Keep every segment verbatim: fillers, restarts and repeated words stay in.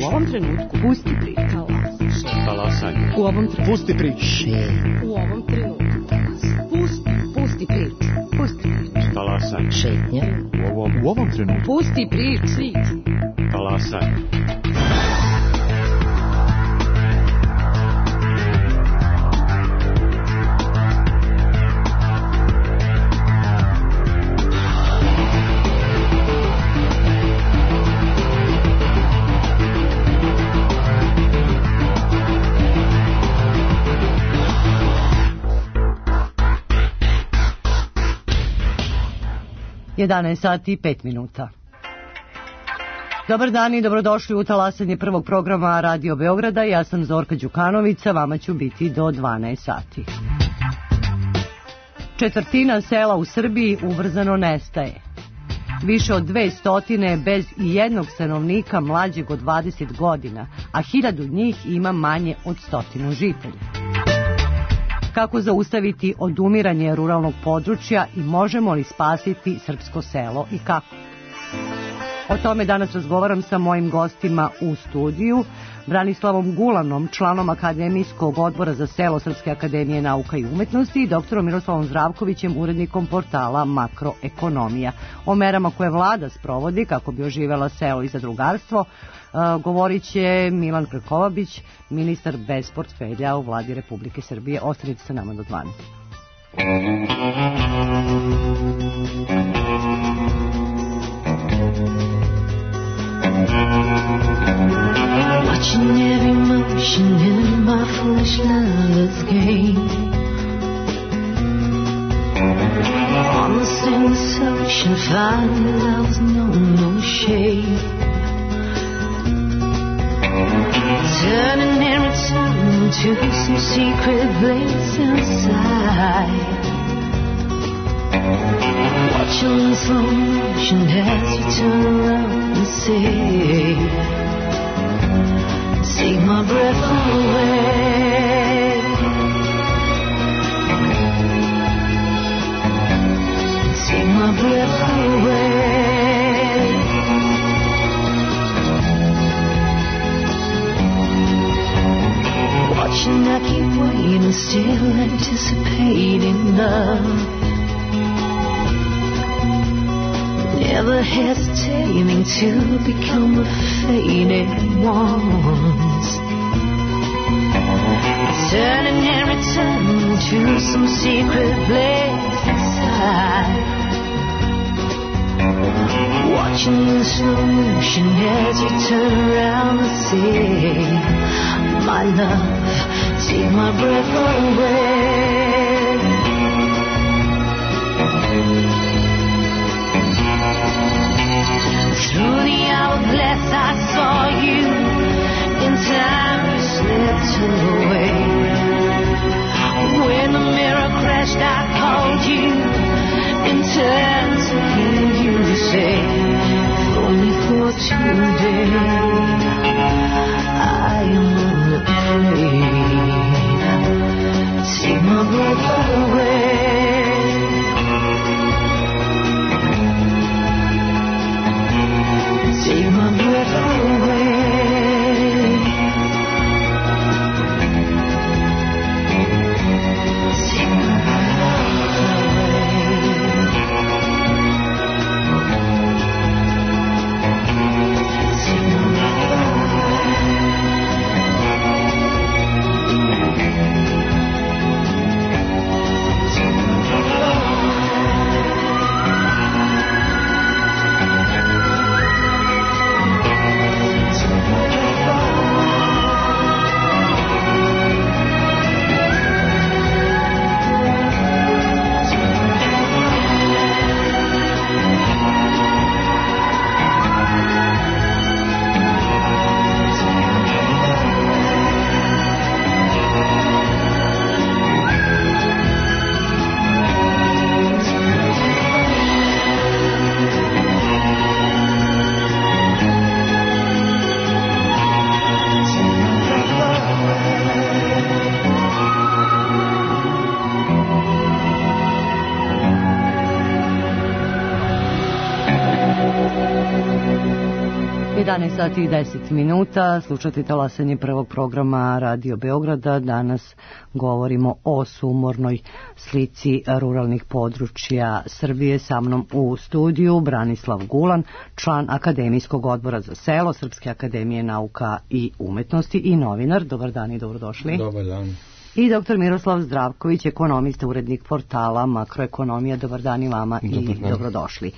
ovom trenutku pusti priču. Talasanje. U ovom trenutku. Pusti priču. U ovom trenutku. Pusti, pusti priču. Pusti priču. Talasanje. Šetnja. U ovom, U ovom trenutku. Pusti priču. Talasanje. jedanaest sati i pet minuta. Dobar dan i dobrodošli u talasanje prvog programa Radio Beograda. Ja sam Zorka Đukanovića, vama ću biti do dvanaest sati. Četvrtina sela u Srbiji ubrzano nestaje. Više od dve stotine bez i jednog stanovnika mlađeg od dvadeset godina, a hiljadu njih ima manje od stotinu žitelja. Kako zaustaviti odumiranje ruralnog područja i možemo li spasiti srpsko selo i kako? O tome danas razgovaram sa mojim gostima u studiju, Branislavom Gulanom, članom Akademijskog odbora za selo Srpske akademije nauka i umetnosti, i doktorom Miroslavom Zdravkovićem, urednikom portala Makroekonomija. O merama koje vlada sprovodi kako bi oživela selo i zadrugarstvo Uh, govorit će Milan Krkobabić, ministar bez portfelja u vladi Republike Srbije. Ostanite sa nama do dvanaest. Watching every motion in my foolish love's game. On the same ocean, find love's no, no shade. Turning and returning to some secret place inside. Watching the slow motion as you turn around and say, take my breath away. Take my breath away. Watching, I keep waiting, still anticipating love. Never hesitating to become the faded ones. Turning and returning to some secret place inside. Watching the slow motion as you turn around and say, my love, take my breath away. Through the hourglass I saw you, in time you slipped away. When the mirror crashed I called you, in turn to hear you say, if only for today I am unafraid. Take my breath away. Take my breath away. Take my breath away. Take my breath away. jedanaest sati i deset minuta, slušate talasanje prvog programa Radio Beograda. Danas govorimo o sumornoj slici ruralnih područja Srbije. Sa mnom u studiju Branislav Gulan, član Akademijskog odbora za selo Srpske akademije nauka i umetnosti i novinar. Dobar dan i dobrodošli. Dobar dan. I doktor Miroslav Zdravković, ekonomista, urednik portala Makroekonomija. Dobar dan i vama i Dobar dobrodošli.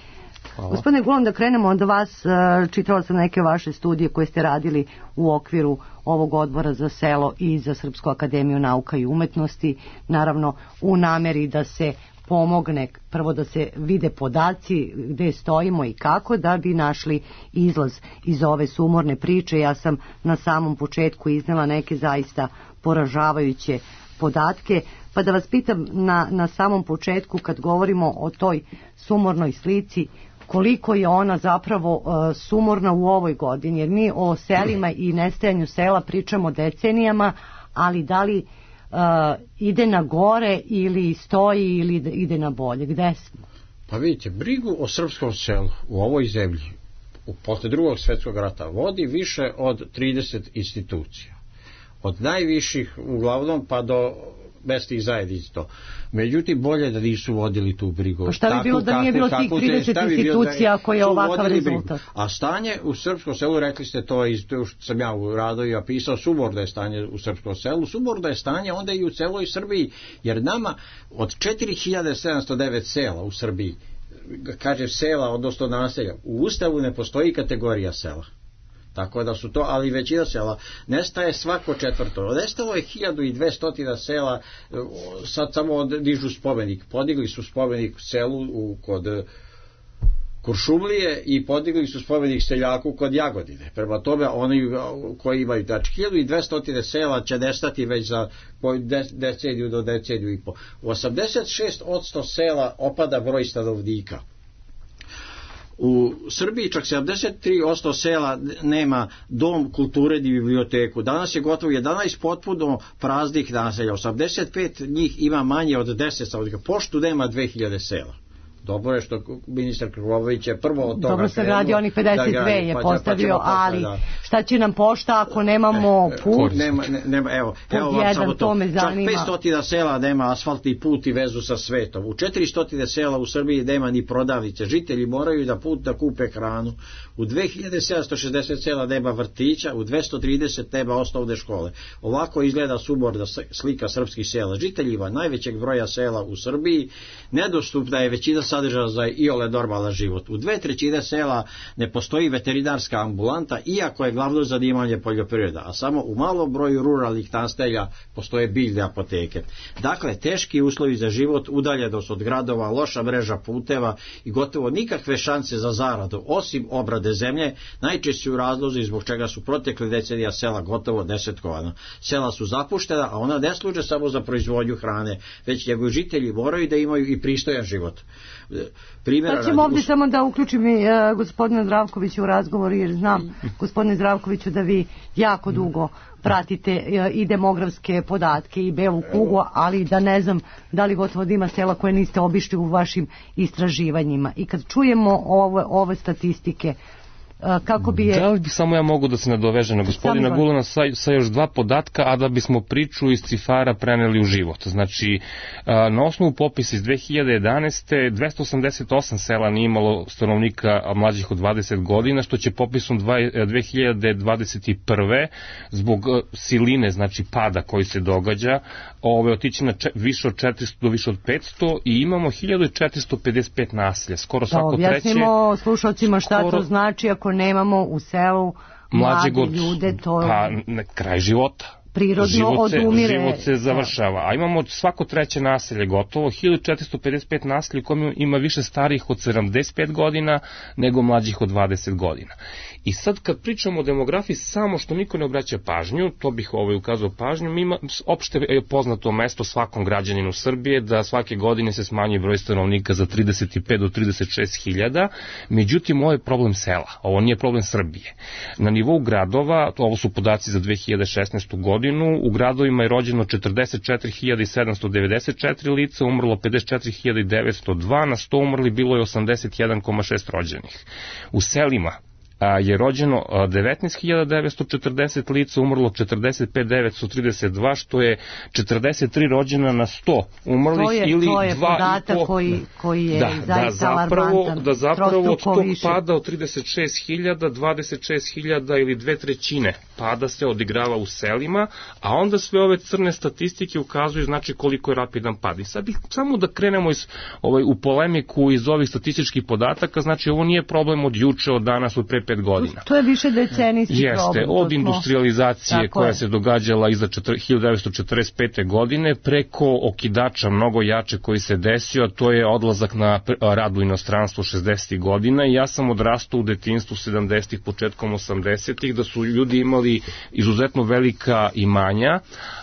Hvala. Gospodine Gulan, da krenemo od vas, čitala sam neke vaše studije koje ste radili u okviru ovog odbora za selo i za Srpsku akademiju nauka i umetnosti, naravno u nameri da se pomogne, prvo da se vide podaci gde stojimo i kako, da bi našli izlaz iz ove sumorne priče. Ja sam na samom početku iznela neke zaista poražavajuće podatke, pa da vas pitam na, na samom početku, kad govorimo o toj sumornoj slici, koliko je ona zapravo uh, sumorna u ovoj godini, jer mi o selima i nestajanju sela pričamo decenijama, ali da li uh, ide na gore ili stoji ili ide na bolje, gde smo? Pa vidite, brigu o srpskom selu u ovoj zemlji u posle drugog svjetskog rata vodi više od trideset institucija. Od najviših uglavnom pa do mesnih zajednica. Međutim, bolje da nisu vodili tu brigu. Pa šta bi bilo da nije bilo tih trideset institucija koje je ovakav rezultat? A stanje u srpskom selu, rekli ste to, iz, to što sam ja u radovima pisao, sumorno je stanje u srpskom selu, sumorno je stanje onda i u celoj Srbiji, jer nama od četiri hiljade sedamsto devet sela u Srbiji, kaže sela, odnosno naselja, u Ustavu ne postoji kategorija sela. Tako da su to, ali većina sela nestaje svako četvrto. Nestalo je hiljadu i dvesta sela, sad samo dižu spomenik. Podigli su spomenik selu u, kod Kuršumlije i podigli su spomenik seljaku kod Jagodine. Prema tome, oni koji imaju, znači hiljadu i dvesta sela će nestati već za deceniju do deceniju i po. U osamdeset šest posto sela opada broj stanovnika. U Srbiji čak sedamdeset tri posto sela nema dom kulture ni biblioteku. Danas je gotovo jedanaest potpuno praznih naselja. osamdeset pet njih ima manje od deset stanovnika. Poštu nema dve hiljade sela. Dobro je što ministar Krkobabić je prvo od toga dobro se radi, onih pedeset dve je pa, postavio, pa ali da. Šta će nam pošta ako nemamo put? Nema, ne, nema, evo, evo vam samo to. Čak petsto sela nema asfaltni put i vezu sa svetom. U četiristo sela u Srbiji nema ni prodavnice. Žitelji moraju da put da kupe hranu. U dve hiljade sedamsto šezdeset sela nema vrtića, u dvesta trideset nema osnovne škole. Ovako izgleda sumorna slika srpskih sela. Žiteljima najvećeg broja sela u Srbiji nedostupna je većina sadržaja za iole normalan život. U dve trećine sela ne postoji veterinarska ambulanta, iako je glavno zanimanje poljoprivreda, a samo u malom broju ruralnih naselja postoje biljne apoteke. Dakle, teški uslovi za život, udaljenost od gradova, loša mreža puteva i gotovo nikakve šanse za zaradu, osim obrade zemlje, najčešći razlozi zbog čega su protekle decenija sela gotovo desetkovana. Sela su zapuštena, a ona ne služe samo za proizvodnju hrane, već njegovi žitelji moraju da imaju i pristojan život. Primjera sad ćemo ovdje samo da uključim i uh, gospodina Zdravkovića u razgovor, jer znam, gospodine Zdravkoviću, da vi jako dugo pratite uh, i demografske podatke i belu kugu, ali da ne znam da li gotovo da ima sela koje niste obišli u vašim istraživanjima. I kad čujemo ove, ove statistike, kako bi je... Da li bi samo ja mogu da se nadovežem na gospodina Gulana sa, sa još dva podatka, a da bismo priču iz cifara preneli u život. Znači, na osnovu popisa iz dve hiljade jedanaeste. dvesta osamdeset osam sela nije imalo stanovnika mlađih od dvadeset godina, što će popisom dve hiljade dvadeset prve zbog siline, znači pada koji se događa, ove otići na če, više od četiristo do više od petsto i imamo hiljadu četiristo pedeset pet naselja, skoro svako treće. Da objasnimo slušalcima šta skoro, to znači ako nemamo u selu mlade god, ljude, to pa ne, kraj života. Prirodno život se, odumire. Život se završava. A imamo svako treće naselje gotovo, hiljadu četiristo pedeset pet naselja u kojem ima više starijih od sedamdeset pet godina nego mlađih od dvadeset godina. I sad kad pričamo o demografiji, samo što niko ne obraća pažnju, to bih ovaj ukazao pažnju, ima opšte je poznato mesto svakom građaninu Srbije da svake godine se smanjuje broj stanovnika za trideset pet do trideset šest hiljada, međutim ovo je problem sela, ovo nije problem Srbije. Na nivou gradova, ovo su podaci za dve hiljade šesnaestu godinu, u gradovima je rođeno četrdeset četiri hiljade sedamsto devedeset četiri lica, umrlo pedeset četiri hiljade devetsto dva, na sto umrli bilo je osamdeset jedan zarez šest rođenih. U selima je rođeno devetnaest hiljada devetsto četrdeset lica, umrlo četrdeset pet hiljada devetsto trideset dva, što je četrdeset tri rođena na sto umrlih, to je, ili to je dva podatak i po... koji, koji je da, zaista da zapravo, alarmantan. Da zapravo od tog više. pada od trideset šest hiljada, dvadeset šest hiljada ili dve trećine pada se odigrava u selima, a onda sve ove crne statistike ukazuju znači koliko je rapidan pad. I sad bih samo da krenemo iz, ovaj, u polemiku iz ovih statističkih podataka, znači ovo nije problem od juče, od danas, od pre pet godina. To je više decenijski Jeste, problem. Jeste, od industrializacije koja je. se događala iza hiljadu devetsto četrdeset pete. godine, preko okidača mnogo jače koji se desio, a to je odlazak na rad u inostranstvo šezdesetih godina, i ja sam odrastao u detinjstvu sedamdesetih, početkom osamdesetih, da su ljudi imali izuzetno velika imanja,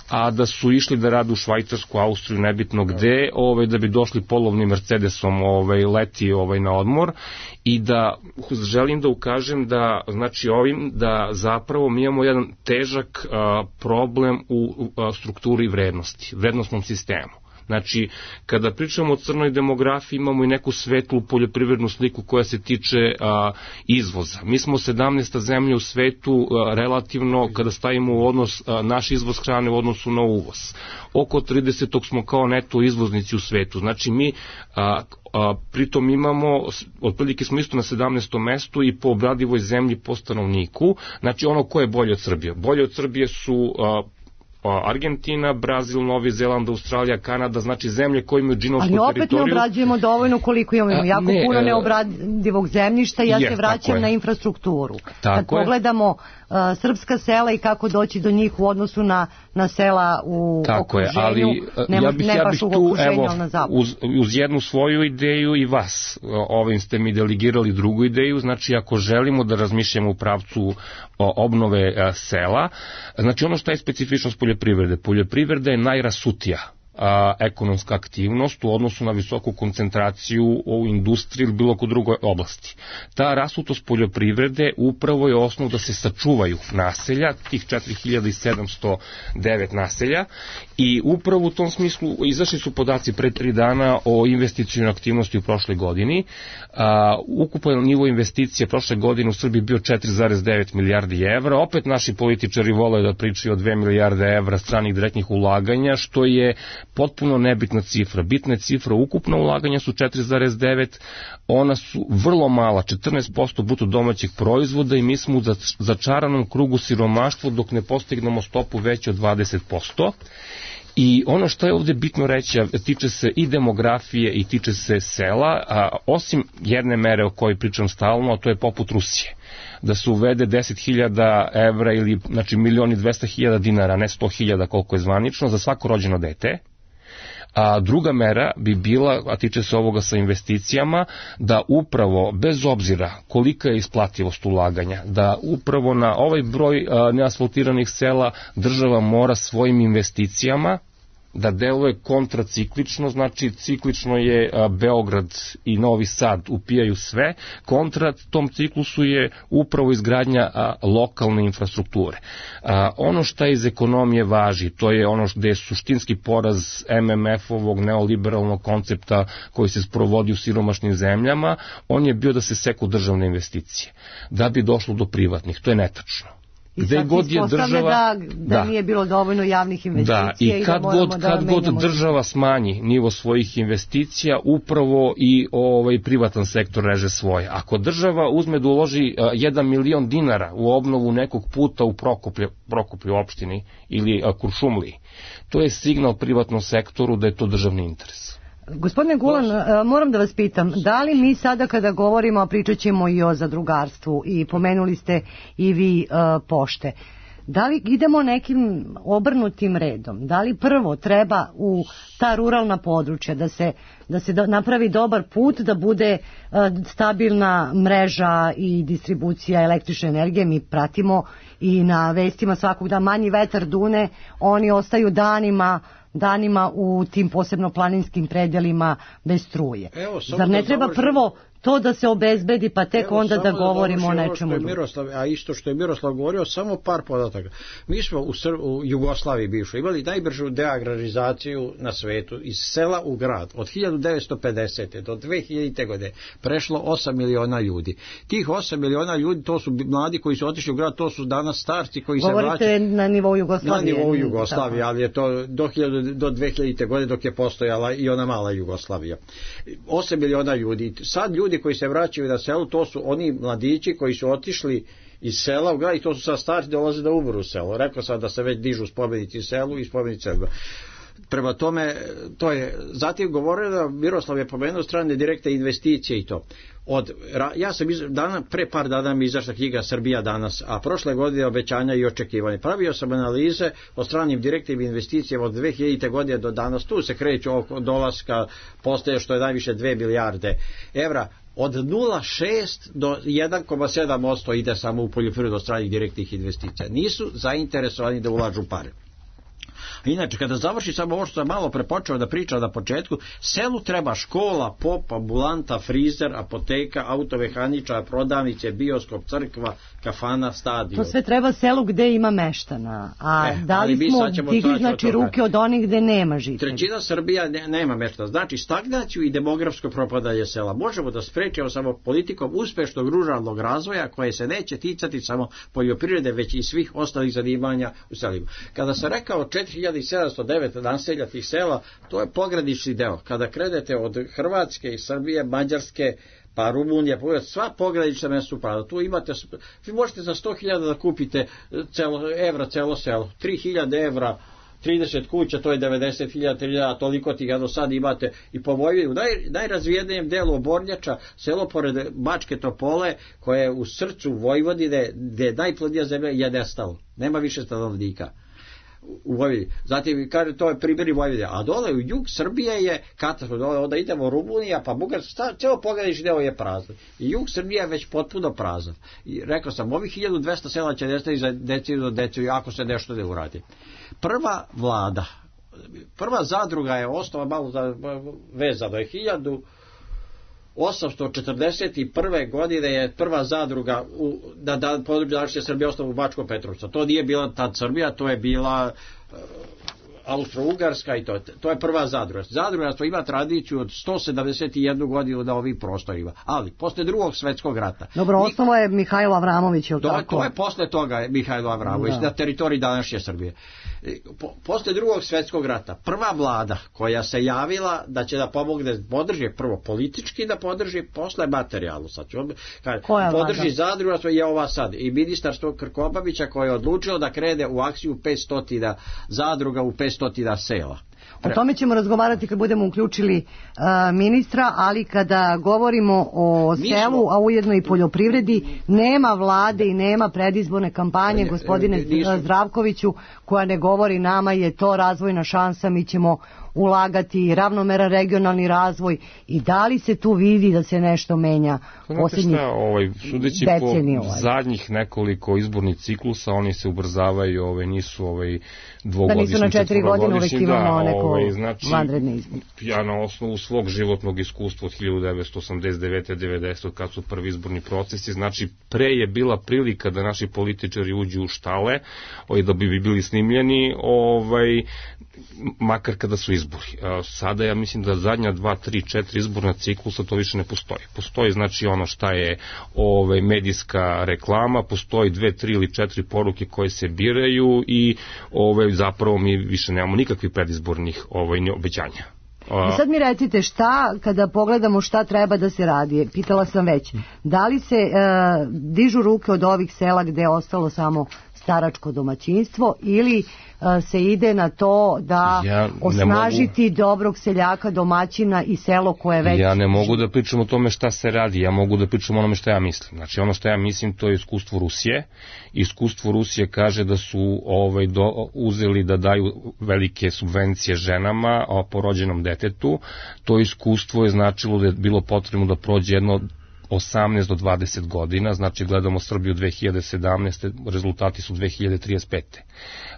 a da su išli da rade u Švajcarsku, Austriju, nebitno gde, ovaj, da bi došli polovnim Mercedesom ovaj, leti ovaj, na odmor, i da želim da ukažem da, znači ovim, da zapravo mi imamo jedan težak a, problem u a, strukturi vrednosti, vrednostnom sistemu. Znači, kada pričamo o crnoj demografiji, imamo i neku svetlu poljoprivrednu sliku koja se tiče a, izvoza. Mi smo sedamnaesta zemlja u svetu a, relativno, kada stavimo u odnos a, naš izvoz hrane u odnosu na uvoz. Oko tridesetog smo kao neto izvoznici u svetu. Znači, mi a, a, pritom imamo, otprilike smo isto na sedamnaestom mestu i po obradivoj zemlji po stanovniku. Znači, ono ko je bolje od Srbije? Bolje od Srbije su... A, Argentina, Brazil, Novi Zeland, Australija, Kanada, znači zemlje koje imaju džinovsku teritoriju. Ali opet ne obrađujemo dovoljno koliko imamo. Jako ne, puno neobradivog zemljišta, ja je, se vraćam na infrastrukturu. Tako Kad je. pogledamo uh, srpska sela i kako doći do njih u odnosu na, na sela u tako okruženju, je, ali, ne, ja bih, ne ja baš bih u tu, okruženju, evo, ali na zapadu. Uz, uz jednu svoju ideju i vas, ovim ste mi delegirali drugu ideju, znači ako želimo da razmišljamo u pravcu obnove a, sela, znači ono što je specifičnost poljoprivrede. Poljoprivreda je najrasutija a, ekonomska aktivnost u odnosu na visoku koncentraciju u industriji ili bilo kod drugoj oblasti. Ta rasutost poljoprivrede upravo je osnov da se sačuvaju naselja, tih četiri hiljade sedamsto devet naselja, i upravo u tom smislu izašli su podaci pre tri dana o investicionoj aktivnosti u prošloj godini. A, ukupan nivo investicije prošle godine u Srbiji bio četiri zarez devet milijardi evra. Opet naši političari vole da pričaju o dve milijarde evra stranih direktnih ulaganja, što je potpuno nebitna cifra. Bitna je cifra, ukupna ulaganja su četiri zarez devet, ona su vrlo mala, četrnaest posto bruto domaćeg proizvoda, i mi smo u začaranom krugu siromaštva dok ne postignemo stopu veću od dvadeset posto. I ono što je ovdje bitno reći, tiče se i demografije i tiče se sela, a osim jedne mere o kojoj pričam stalno, a to je poput Rusije. Da se uvede deset hiljada evra ili znači milion i dvesta hiljada dinara, ne sto hiljada koliko je zvanično, za svako rođeno dete. A druga mera bi bila, a tiče se ovoga sa investicijama, da upravo, bez obzira kolika je isplativost ulaganja, da upravo na ovaj broj a, neasfaltiranih sela država mora svojim investicijama da deluje kontraciklično, znači ciklično je a, Beograd i Novi Sad upijaju sve, kontra tom ciklusu je upravo izgradnja a, lokalne infrastrukture. A, ono što iz ekonomije važi, to je ono gde je suštinski poraz M M F-ovog neoliberalnog koncepta koji se sprovodi u siromašnim zemljama, on je bio da se seku državne investicije, da bi došlo do privatnih, to je netačno. I gde god je država da, da, da nije bilo dovoljno javnih investicija da, i kad i da god, da kad god država smanji nivo svojih investicija, upravo i ovaj privatni sektor reže svoje. Ako država uzme da uloži uh, jedan milion dinara u obnovu nekog puta u Prokuplju, Prokuplju opštini ili uh, Kuršumliji, to je signal privatnom sektoru da je to državni interes. Gospodine Gulan, moram da vas pitam, da li mi sada kada govorimo, a pričat ćemo i o zadrugarstvu, i pomenuli ste i vi uh, pošte, da li idemo nekim obrnutim redom? Da li prvo treba u ta ruralna područja da se, da se do, napravi dobar put, da bude uh, stabilna mreža i distribucija električne energije? Mi pratimo i na vestima svakog da manji vetar dune, oni ostaju danima danima u tim posebno planinskim predelima bez struje. Evo, Zar ne treba završim. prvo to da se obezbedi, pa tek Evo, onda da govorimo o da nečemu drugom. Miroslav, a isto što je Miroslav govorio, samo par podataka. Mi smo u, Sr- u Jugoslaviji bivšoj imali najbržu deagrarizaciju na svetu, iz sela u grad. Od hiljadu devetsto pedesete do dve hiljadite. godine prešlo osam miliona ljudi. Tih osam miliona ljudi, to su mladi koji su otišli u grad, to su danas starci koji Govorite se vraćaju. Govorite na nivou Jugoslavije. Na nivou Jugoslavije, ali je to do, hiljadu, do dve hiljadite. godine dok je postojala i ona mala Jugoslavija. osam miliona ljudi. Sad ljudi koji se vraćaju na selu, to su oni mladići koji su otišli iz sela u grad i to su sad starci, dolaze da umru u selo. Rekao sam da se već dižu spomenici selu i spomenici selu. Prema tome, to je, zatim govorio da Miroslav je pomenuo strane direktne investicije i to. Od, ja sam iz, dana, pre par dana mi izašla knjiga Srbija danas, a prošle godine obećanja i očekivanja. Pravio sam analize o stranim direktnim investicijama od dve hiljadite. godine do danas. Tu se kreću oko dolaska, postaje što je najviše dve milijarde evra. Od nula zarez šest do jedan zarez sedam posto ide samo u poljoprivredu stranih direktnih investicija. Nisu zainteresovani da ulažu pare. Inače, kada završi samo ovo što sam malo prepočeo da pričam na početku, selu treba škola, pop, ambulanta, frizer, apoteka, automehaničar, prodavnice, bioskop, crkva, kafana, stadion. To sve treba selu gde ima meštana. A e, da li smo digli znači ruke od onih gde nema žitelja? Trećina Srbija ne, nema meštana. Znači stagnaciju i demografsko propadanje sela možemo da sprečimo samo politikom uspešnog ruralnog razvoja koje se neće ticati samo poljoprivrede, već i svih ostalih zanimanja u selima. Kada sam rekao četiri hiljade sedamsto devet naselja tih sela, to je pogranični deo. Kada krenete od Hrvatske i Srbije, Mađarske, pa Rumunija, sva pogranična mesta su prazna. Tu imate, vi možete za sto hiljada da kupite celo, evra celo selo. tri hiljade evra, trideset kuća, to je devedeset hiljada, a toliko tih do sad imate i po Vojvodini. U naj, najrazvijenijem delu Obornjača, selo pored Bačke Topole, koje je u srcu Vojvodine, gde je najplodnija zemlja, je nestalo. Nema više stanovnika u Vojvodini. Zatim, kaže, to je primjer i Vojvodine. A dole u jug Srbije je katastrofa. Dole onda idemo Rumunija, pa Bugarska, ceo pogranični deo je prazan. I jug Srbije je već potpuno prazan. I rekao sam, ovih hiljadu dvesta sela će nestati za deceniju do deceniju, ako se nešto ne uradi. Prva vlada, prva zadruga je ostala malo vezano. Je hiljadu osamsto četrdeset prve. godine je prva zadruga u, da, da području današnje Srbije ostala u Bačkom Petrovcu. To nije bila tad Srbija, to je bila uh, Austro-Ugarska i to, to je prva zadruga. Zadrugarstvo ima tradiciju od sto sedamdeset jednu. godinu na ovim prostorima. Ali, posle drugog svetskog rata... Dobro, osnovo je Mihajlo Avramović, je li tako? To je posle toga Mihajlo Avramović, da. Na teritoriji današnje Srbije. Po, posle drugog svetskog rata, prva vlada koja se javila da će da pomogne, podrži prvo politički da podrži, posle materijalno. Sad ću, kad podrži zadrugarstvo je ova sad. I ministar Krkobabića koji je odlučio da krene u akciju petsto zadruga u petsto sela. O tome ćemo razgovarati kad budemo uključili uh, ministra, ali kada govorimo o Mi selu, smo... a ujedno i poljoprivredi, nema vlade i nema predizborne kampanje, ne, gospodine nisu... Zdravkoviću, koja ne govori nama je to razvojna šansa, mi ćemo ulagati ravnomeran regionalni razvoj i da li se tu vidi da se nešto menja posljednjih ovaj, sudeći deceniju? Po ovaj. zadnjih nekoliko izbornih ciklusa, oni se ubrzavaju, ovaj, nisu ovaj, dvogodišnji, da nisu na četiri godine uvek imamo neko ovaj, znači, vanredne izbore. Ja na osnovu svog životnog iskustva od hiljadu devetsto osamdeset devete do devedesete kad su prvi izborni procesi, znači pre je bila prilika da naši političari uđu u štale, ovaj, da bi bili snimljeni, ovaj, makar kada su izbori. Sada ja mislim da zadnja dva, tri, četiri izborna ciklusa to više ne postoji. Postoji znači ono šta je ovaj, medijska reklama, postoji dve, tri ili četiri poruke koje se biraju i ovaj, zapravo mi više nemamo nikakvih predizbornih ovaj, obećanja. I sad mi recite šta, kada pogledamo šta treba da se radi, pitala sam već, da li se e, dižu ruke od ovih sela gde je ostalo samo staračko domaćinstvo ili a, se ide na to da ja osnažiti mogu, dobrog seljaka, domaćina i selo koje već... Ja ne mogu da pričam o tome šta se radi, ja mogu da pričam o onome šta ja mislim. Znači ono što ja mislim to je iskustvo Rusije. Iskustvo Rusije kaže da su ovaj, do, uzeli da daju velike subvencije ženama o porođenom detetu. To iskustvo je značilo da je bilo potrebno da prođe jedno osamnaest do dvadeset godina, znači gledamo Srbiju dve hiljade sedamnaeste. rezultati su dve hiljade trideset pete.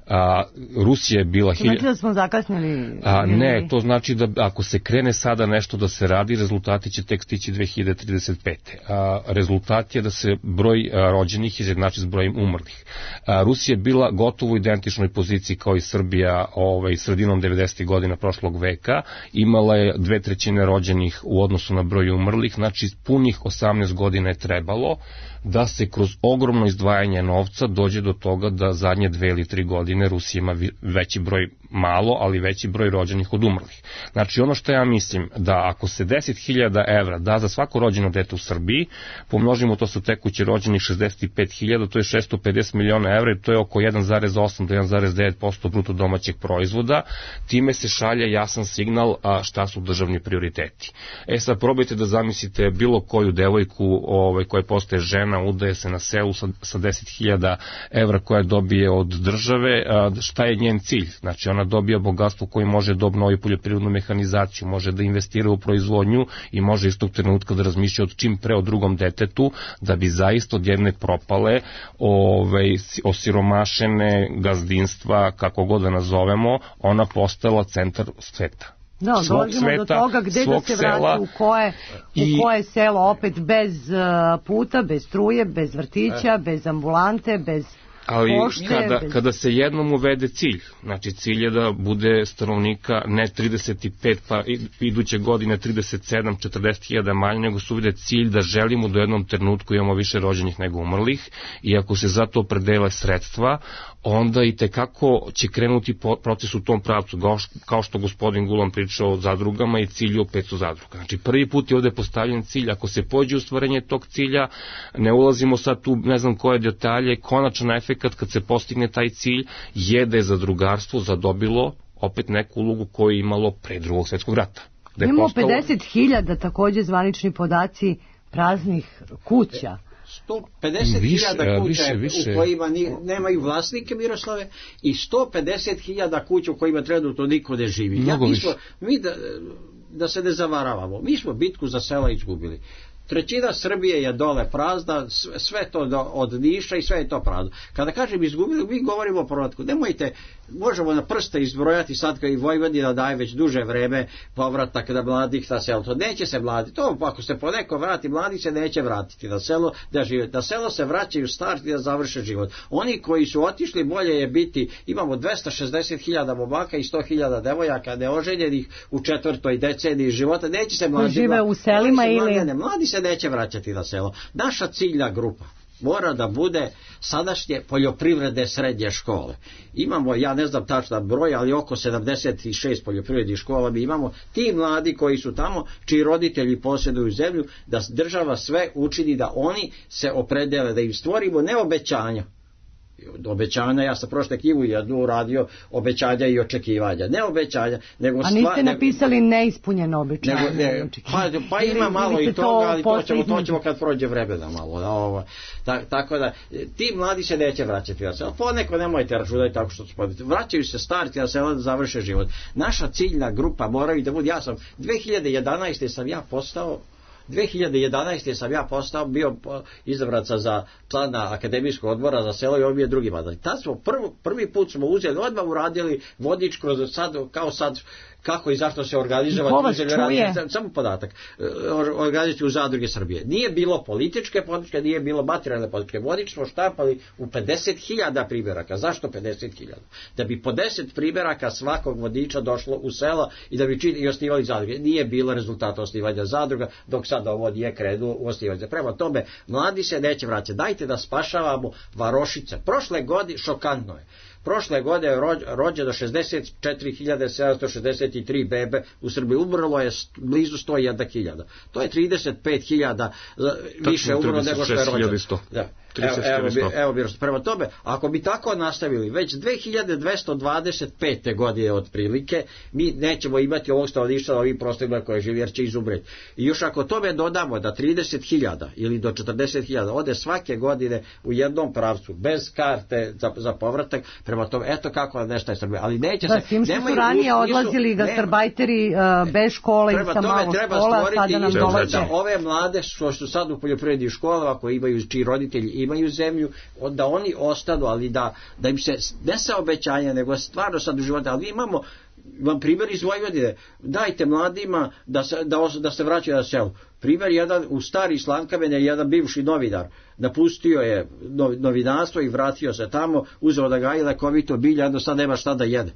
A, Rusija je bila... To znači da smo zakasnili? A, ne, to znači da ako se krene sada nešto da se radi, rezultati će tek stići dve hiljade trideset pete. A, rezultat je da se broj a, rođenih izjednači s brojem umrlih. A, Rusija je bila gotovo u identičnoj poziciji kao i Srbija ovaj, sredinom devedesetih godina prošlog veka. Imala je dve trećine rođenih u odnosu na broj umrlih, znači punih osamnaest godina je trebalo da se kroz ogromno izdvajanje novca dođe do toga da zadnje dve ili tri godine Rusija ima veći broj, malo, ali veći broj rođenih od umrlih. Znači ono što ja mislim, da ako se deset hiljada evra da za svako rođeno dete u Srbiji, pomnožimo to sa tekuće rođenih šezdeset pet hiljada, to je šesto pedeset miliona evra i to je oko jedan zarez osam do jedan zarez devet posto bruto domaćeg proizvoda. Time se šalje jasan signal a šta su državni prioriteti. E sad probajte da zamislite bilo koju devojku ovaj, koja postaje žena, udaje se na selu sa, sa deset hiljada evra koja dobije od države, a, šta je njen cilj? Znači ona dobija bogatstvo koji može da obnovi poljoprivrednu mehanizaciju, može da investira u proizvodnju i može istog trenutka da razmišlja od čim pre o drugom detetu, da bi zaista od jedne propale, ovaj, osiromašene gazdinstva, kako god da nazovemo, ona postala centar sveta. Da, dolazimo do toga gde da se vrati, u koje, i, u koje selo, opet bez uh, puta, bez struje, bez vrtića, e. bez ambulante, bez ali pošte. Kada, bez... kada se jednom uvede cilj, znači cilj je da bude stanovnika ne trideset pet, pa iduće godine trideset sedam četrdeset hiljada manje, nego se uvede cilj da želimo da u jednom trenutku imamo više rođenih nego umrlih i ako se za to predele sredstva, onda i tekako će krenuti proces u tom pravcu, kao što gospodin Gulan pričao o zadrugama i cilju o petsto zadruga. Znači prvi put je ovde postavljen cilj, ako se pođe u stvarenje tog cilja, ne ulazimo sad tu ne znam koje detalje, konačan efekat kad se postigne taj cilj je da je zadrugarstvo zadobilo opet neku ulogu koju je imalo pre drugog svjetskog rata. Da imamo postalo... pedeset hiljada takođe zvanični podaci praznih kuća. sto pedeset hiljada kuća više, više. u kojima ni, nemaju vlasnike, Miroslave, i sto pedeset hiljada kuća u kojima trenutno niko ne živi. Ja, mi, smo, mi da, da se ne zavaravamo, mi smo bitku za sela izgubili. Trećina Srbije je dole prazna, sve to do, od Niša i sve je to prazno. Kada kažem izgubili, mi govorimo o povratku. Nemojte, možemo na prste izbrojati sad kad i Vojvodina daje već duže vreme povratak na mladih na selo. To neće se mladi. To ako se po neko vrati, mladi se neće vratiti na selo da žive. Na selo se vraćaju starti da završe život. Oni koji su otišli, bolje je biti, imamo dvesta šezdeset hiljada momaka i sto hiljada devojaka neoženjenih u četvrtoj deceniji života. Neće se mladi. Žive u selima ili... Mladi, ne, mladi se neće vraćati na selo. Naša ciljna grupa mora da bude sadašnje poljoprivredne srednje škole. Imamo, ja ne znam tačan broj, ali oko sedamdeset šest poljoprivrednih škola mi imamo. Ti mladi koji su tamo, čiji roditelji posjeduju zemlju, da država sve učini da oni se opredele, da im stvorimo ne obećanja, obećanja, ja sam prošle knjigu jednu uradio, obećanja i očekivanja, ne obećanja, nego a niste napisali nego, neispunjeno obećanje, nego, ne, pa, pa ima malo i toga, ali to ćemo, to ćemo kad prođe vremena malo, da, ovo, ta, tako da ti mladi se neće vraćati na selo, poneko nemojte računati tako što spodite, vraćaju se starci na selo da završe život. Naša ciljna grupa moraju da bude, ja sam dve hiljade jedanaeste sam ja postao dve hiljade jedanaeste sam ja postao, bio izabran za člana akademijskog odbora za selo i on mi je drugi mandat. Tad smo prvi, prvi put smo uzeli, odmah uradili vodič kroz sad, kao sad, kako i zašto se organizovati, samo podatak, organizaciju u zadruge Srbije. Nije bilo političke podrške, nije bilo materijalne podrške. Vodič smo štampali u pedeset hiljada primjeraka. Zašto pedeset hiljada? Da bi po deset primjeraka svakog vodiča došlo u sela i da bi čini i osnivali zadruge. Nije bilo rezultata osnivanja zadruga, dok sad ovo nije krenuo u osnivanje. Prema tome, mladi se neće vraćati. Dajte da spašavamo varošice. Prošle godine, šokantno je, prošle godine je rođeno šezdeset četiri hiljade sedamsto šezdeset tri bebe u Srbiji, umrlo je blizu sto jedna hiljada. To je trideset pet hiljada više umrlo nego što je rođeno. Da. trideset evo, evo, evo bi, prema tome, ako bi tako nastavili, već dve hiljade dvesta dvadeset pete godine otprilike, mi nećemo imati ovog stanovništva na ovim prostorima koje živi, jer će izumreti. I još ako tome dodamo da trideset hiljada ili do četrdeset hiljada ode svake godine u jednom pravcu, bez karte za, za povratak, prema tome, eto kako nestaje Srbija. Ali neće da, se... S tim što su ranije odlazili gastarbajteri uh, bez škole i sa malo škola, sada nam dolaze. Da ove mlade što su sad u poljoprivrednih školama, koji imaju, čiji roditelji imaju zemlju, da oni ostanu, ali da, da im se ne sa obećanja, nego stvarno sad u životu, ali imamo vam primjer iz Vojvodine, dajte mladima da se, da, da se vraćaju na selo. Primjer jedan u stari Slankamen je jedan bivši novinar, napustio je novinarstvo i vratio se tamo, uzeo da gaji lekovito bilje, jedno sad nema šta da jede.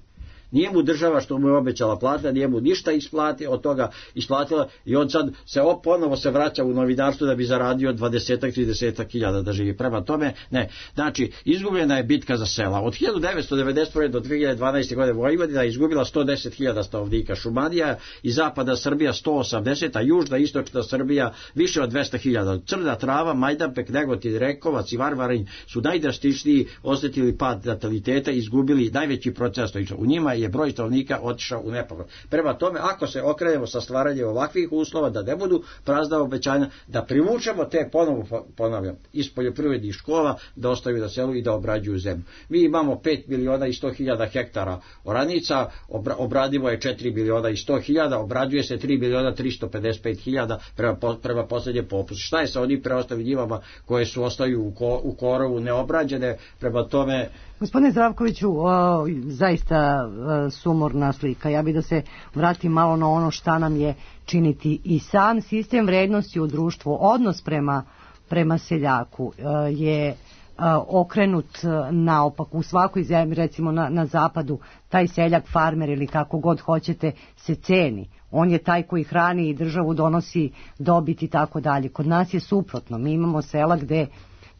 Nije mu država što mu je obećala plata, nije mu ništa isplati, od toga isplatila i on sad se op, ponovo se vraća u novinarstvo da bi zaradio dvadeset do trideset hiljada da živi. Prema tome, ne. Znači, izgubljena je bitka za sela. Od hiljadu devetsto devedeset prve do dve hiljade dvanaeste. godine Vojvodina je izgubila sto deset hiljada stanovnika, Šumadija i zapada Srbija sto osamdeset, a južna i istočna Srbija više od dvesta hiljada. Crna Trava, Majdanpek, Negotin, Rekovac i Varvarin su najdrastičniji osjetili pad nataliteta i izgubili najveći procenat stanovništva. U njima je broj stanovnika otišao u nepovrat. Prema tome, ako se okrenemo sa stvaranjem ovakvih uslova, da ne budu prazna obećanja, da privučemo te, ponovo ponavljam, iz poljoprivrednih škola, da ostaju na selu i da obrađuju zemlju. Mi imamo pet miliona i sto hiljada hektara oranica, obra, obradivo je četiri miliona i sto hiljada, obrađuje se tri miliona tristo pedeset pet hiljada prema, prema posljednje popus. Šta je sa onim preostalim njivama koje su ostaju u, ko, u korovu neobrađene? Prema tome... Gospodine Zdravkoviću, o, zaista o, sumorna slika. Ja bih da se vratim malo na ono šta nam je činiti i sam sistem vrednosti u društvu. Odnos prema, prema seljaku o, je o, okrenut naopak. U svakoj zemlji, recimo na, na zapadu, taj seljak, farmer ili kako god hoćete, se ceni. On je taj koji hrani i državu, donosi dobit i tako dalje. Kod nas je suprotno. Mi imamo sela gde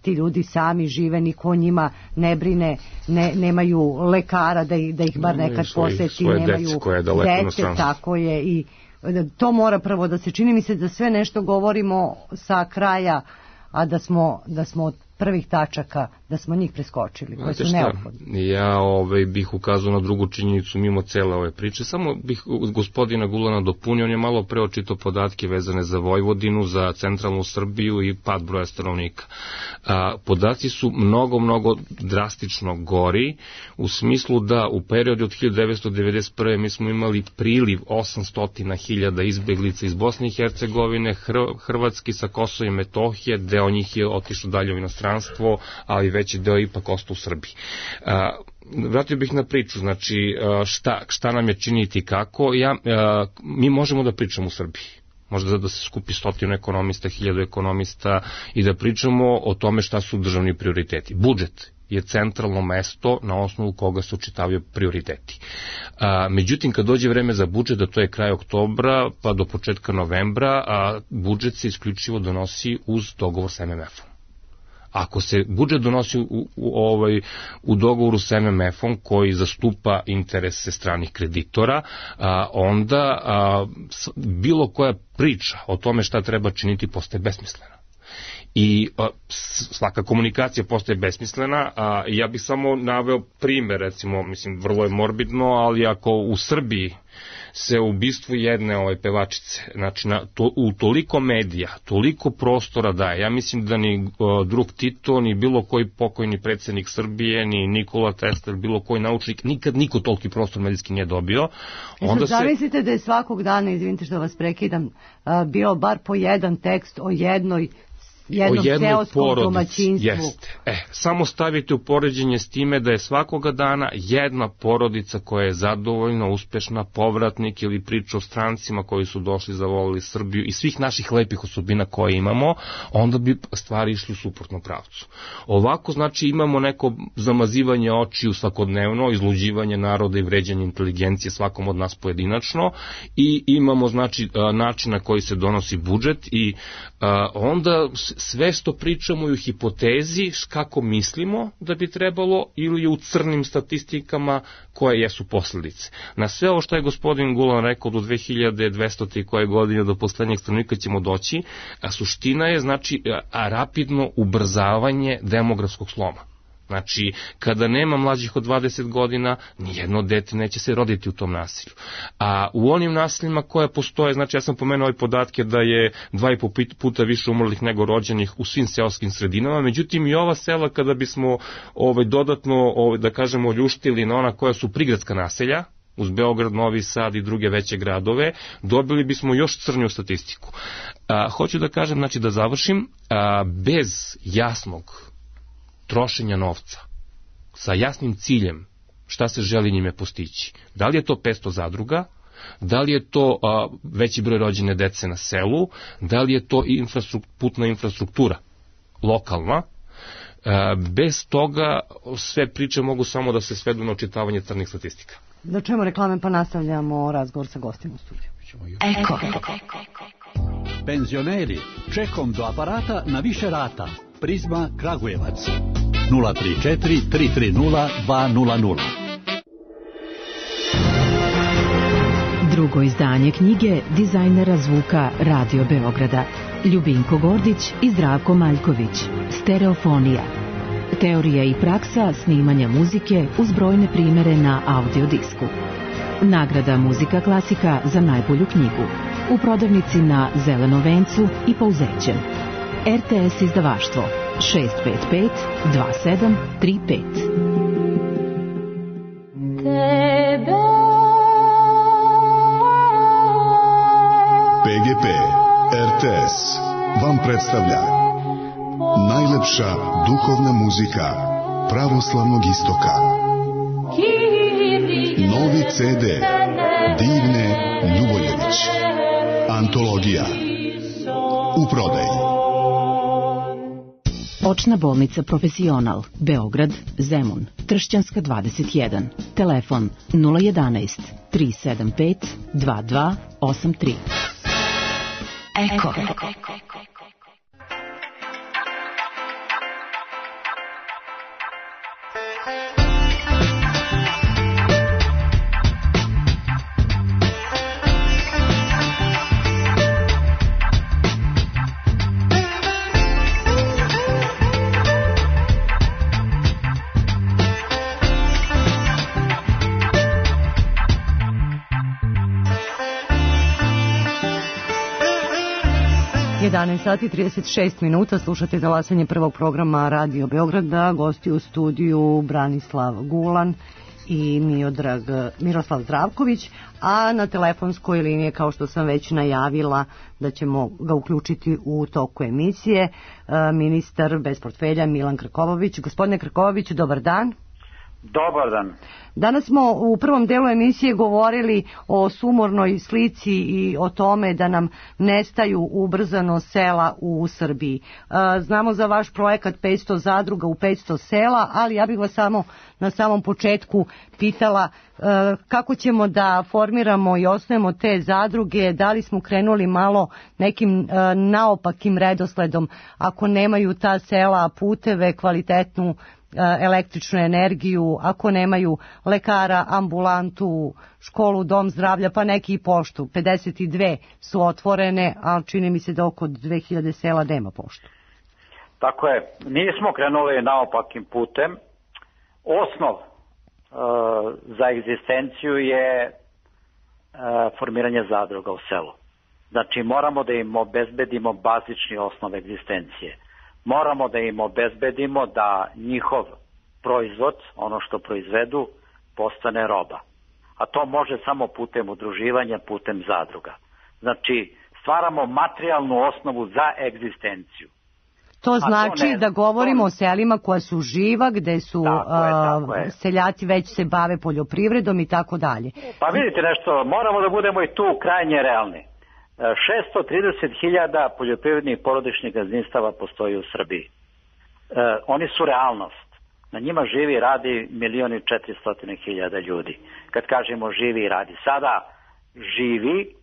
ti ljudi sami žive, niko o njima ne brine, ne, nemaju lekara da ih, da ih bar nekad poseti, nemaju dece, tako je, i to mora prvo da se čini. Mi se da sve nešto govorimo sa kraja, a da smo, da smo od prvih tačaka, da smo njih preskočili, koje su neophodne. Ja ovaj, bih ukazao na drugu činjenicu mimo cele ove priče, samo bih gospodina Gulana dopunio, on je malo preočito podatke vezane za Vojvodinu, za centralnu Srbiju i pad broja stanovnika. A, podaci su mnogo, mnogo drastično gori, u smislu da u periodu od hiljadu devetsto devedeset prve. mi smo imali priliv osamsto hiljada izbeglica iz Bosne i Hercegovine, Hrvatski sa Kosova i Metohije, deo njih je otišao dalje u inostranstvo, ali veći deo ipak ostao u Srbiji. A, vratio bih na priču, znači šta, šta nam je činiti i kako. Ja, a, mi možemo da pričamo u Srbiji. Možda da se skupi stotinu ekonomista, hiljadu ekonomista i da pričamo o tome šta su državni prioriteti. Budžet je centralno mesto na osnovu koga se očitavaju prioriteti. A, međutim, kad dođe vreme za budžet, da to je kraj oktobra pa do početka novembra, a budžet se isključivo donosi uz dogovor sa em em efom. Ako se budžet donosi u, u, ovaj, u dogovoru s em em efom koji zastupa interese stranih kreditora, a, onda a, bilo koja priča o tome šta treba činiti postaje besmislena. I a, svaka komunikacija postaje besmislena, a ja bih samo naveo primer, recimo, mislim, vrlo je morbidno, ali ako u Srbiji se ubistvu jedne ove pevačice, znači na, to, u toliko medija, toliko prostora daje, ja mislim da ni o, drug Tito, ni bilo koji pokojni predsjednik Srbije, ni Nikola Tesla, bilo koji naučnik, nikad niko toliki prostor medijski nije dobio. Onda se... Zamislite da je svakog dana, izvinite što vas prekidam, bio bar po jedan tekst o jednoj jednom seoskom domaćinstvu. Jeste. E, samo stavite u poređenje s time da je svakoga dana jedna porodica koja je zadovoljna, uspešna, povratnik ili priča o strancima koji su došli, zavolili Srbiju i svih naših lepih osobina koje imamo, onda bi stvari išli u suprotnom pravcu. Ovako, znači, imamo neko zamazivanje očiju svakodnevno, izluđivanje naroda i vređanje inteligencije svakom od nas pojedinačno i imamo, znači, način na koji se donosi budžet i a, onda sve što pričamo je u hipotezi kako mislimo da bi trebalo ili u crnim statistikama koje jesu posledice. Na sve ovo što je gospodin Gulan rekao do dve hiljade dvesta koje godine do poslednjeg stanovnika ćemo doći, a suština je znači a rapidno ubrzavanje demografskog sloma. Znači, kada nema mlađih od dvadeset godina, nijedno dete neće se roditi u tom nasilju. A u onim nasiljima koje postoje, znači ja sam pomenuo ove podatke da je dva i po puta više umrlih nego rođenih u svim seoskim sredinama, međutim i ova sela kada bismo ovaj, dodatno, ovaj, da kažemo, ljuštili na ona koja su prigradska naselja, uz Beograd, Novi Sad i druge veće gradove, dobili bismo još crniju statistiku. A, hoću da kažem, znači da završim, a, bez jasnog trošenja novca, sa jasnim ciljem šta se želi njime postići. Da li je to petsto zadruga, da li je to a, veći broj rođene dece na selu, da li je to infrastruktura, putna infrastruktura lokalna, a, bez toga sve priče mogu samo da se svedu na očitavanje crnih statistika. Da čujemo reklame pa nastavljamo razgovor sa gostima u studiju. Eko. Penzioneri, čekom do aparata na više rata. Prizma Kragujevac nula tri četiri tri tri nula dva nula nula. Drugo izdanje knjige dizajnera zvuka Radio Beograda Ljubinko Gordić i Zdravko Maljković. Stereofonija. Teorija i praksa snimanja muzike uz brojne primere na audiodisku. Nagrada Muzika klasika za najbolju knjigu. U prodavnici na Zelenom vencu i Pouzećem. R T S izdavaštvo šest pet pet dva sedam tri pet. P G P R T S vam predstavlja najlepša duhovna muzika pravoslavnog istoka. Novi C D Divne Ljuboljević. Antologija u prodaji. Očna bolnica Profesional, Beograd, Zemun, Tršćanska dvadeset jedan. Telefon nula jedanaest tri sedam pet dva dva osam tri. Eko. jedanaest sati trideset šest minuta, slušate glasanje prvog programa Radio Beograda, gosti u studiju Branislav Gulan i Miodrag, Miroslav Zdravković, a na telefonskoj liniji, kao što sam već najavila da ćemo ga uključiti u toku emisije, ministar bez portfelja Milan Krkobabić. Gospodine Krkobabiću, dobar dan. Dobar dan. Danas smo u prvom delu emisije govorili o sumornoj slici i o tome da nam nestaju ubrzano sela u Srbiji. Znamo za vaš projekat petsto zadruga u petsto sela, ali ja bih vas samo na samom početku pitala kako ćemo da formiramo i osnujemo te zadruge, da li smo krenuli malo nekim naopakim redosledom, ako nemaju ta sela puteve, kvalitetnu električnu energiju, ako nemaju lekara, ambulantu, školu, dom zdravlja, pa neki i poštu. pedeset dve su otvorene, ali čini mi se da oko dve hiljade sela nema poštu. Tako je. Nismo krenuli naopakim putem. Osnov uh, za egzistenciju je uh, formiranje zadruga u selu. Znači moramo da im obezbedimo bazični osnov egzistencije. Moramo da im obezbedimo da njihov proizvod, ono što proizvedu, postane roba. A to može samo putem udruživanja, putem zadruga. Znači, stvaramo materijalnu osnovu za egzistenciju. To znači to ne, da govorimo to... o selima koja su živa, gde su tako je, tako je. seljaci već se bave poljoprivredom i tako dalje. Pa vidite nešto, moramo da budemo i tu krajnje realni. šesto trideset hiljada poljoprivrednih porodičnih gazdinstava postoji u Srbiji. E, oni su realnost. Na njima živi i radi milion i četiristo hiljada ljudi. Kad kažemo živi i radi. Sada živi,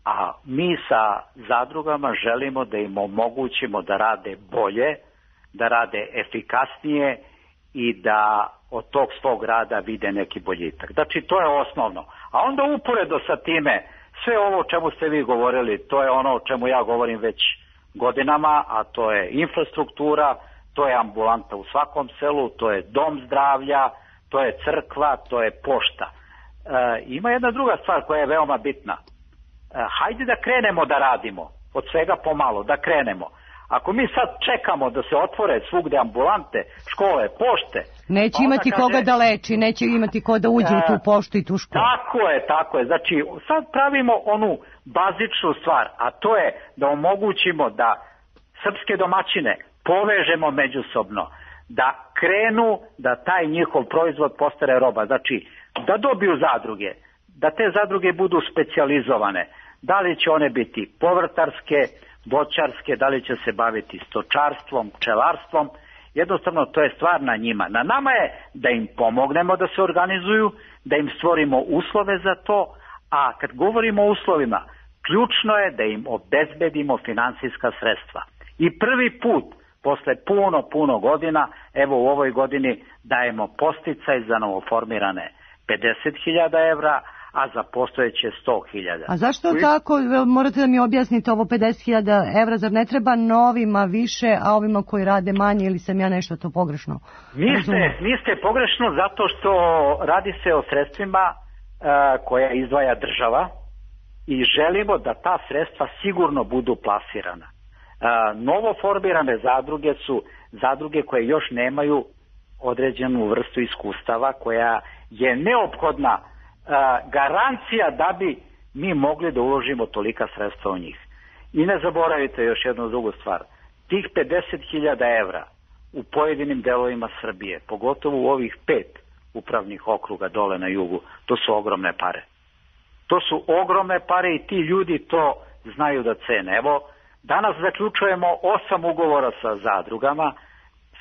A mi sa zadrugama želimo da im omogućimo da rade bolje, da rade efikasnije i da od tog svog rada vide neki boljitak. Znači, to je osnovno. A onda uporedo sa time, sve ovo o čemu ste vi govorili, to je ono o čemu ja govorim već godinama, a to je infrastruktura, to je ambulanta u svakom selu, to je dom zdravlja, to je crkva, to je pošta. E, ima jedna druga stvar koja je veoma bitna. E, hajde da krenemo da radimo, od svega pomalo, da krenemo. Ako mi sad čekamo da se otvore svugde ambulante, škole, pošte... Neće imati kaže, koga da leči, neće imati ko da uđe e, u tu poštu i tu školu. Tako je, tako je. Znači, sad pravimo onu bazičnu stvar, a to je da omogućimo da srpske domaćine povežemo međusobno, da krenu da taj njihov proizvod postane roba. Znači, da dobiju zadruge, da te zadruge budu specijalizovane. Da li će one biti povrtarske, voćarske, da li će se baviti stočarstvom, pčelarstvom, jednostavno to je stvar na njima. Na nama je da im pomognemo da se organizuju, da im stvorimo uslove za to, a kad govorimo o uslovima, ključno je da im obezbedimo finansijska sredstva. I prvi put, posle puno, puno godina, evo u ovoj godini dajemo podsticaj za novoformirane pedeset hiljada evra, a za postojeće sto hiljada. A zašto Koji... tako? Morate da mi objasnite ovo pedeset hiljada evra, zar ne treba novima više, a ovima koji rade manje, ili sam ja nešto to pogrešno? Niste, niste pogrešno, zato što radi se o sredstvima uh, koja izdvaja država i želimo da ta sredstva sigurno budu plasirana. Uh, novoformirane zadruge su zadruge koje još nemaju određenu vrstu iskustava, koja je neophodna Uh, garancija da bi mi mogli da uložimo tolika sredstva u njih. I ne zaboravite još jednu drugu stvar. Tih pedeset hiljada evra u pojedinim delovima Srbije, pogotovo u ovih pet upravnih okruga dole na jugu, to su ogromne pare. To su ogromne pare i ti ljudi to znaju da cene. Evo, danas zaključujemo osam ugovora sa zadrugama,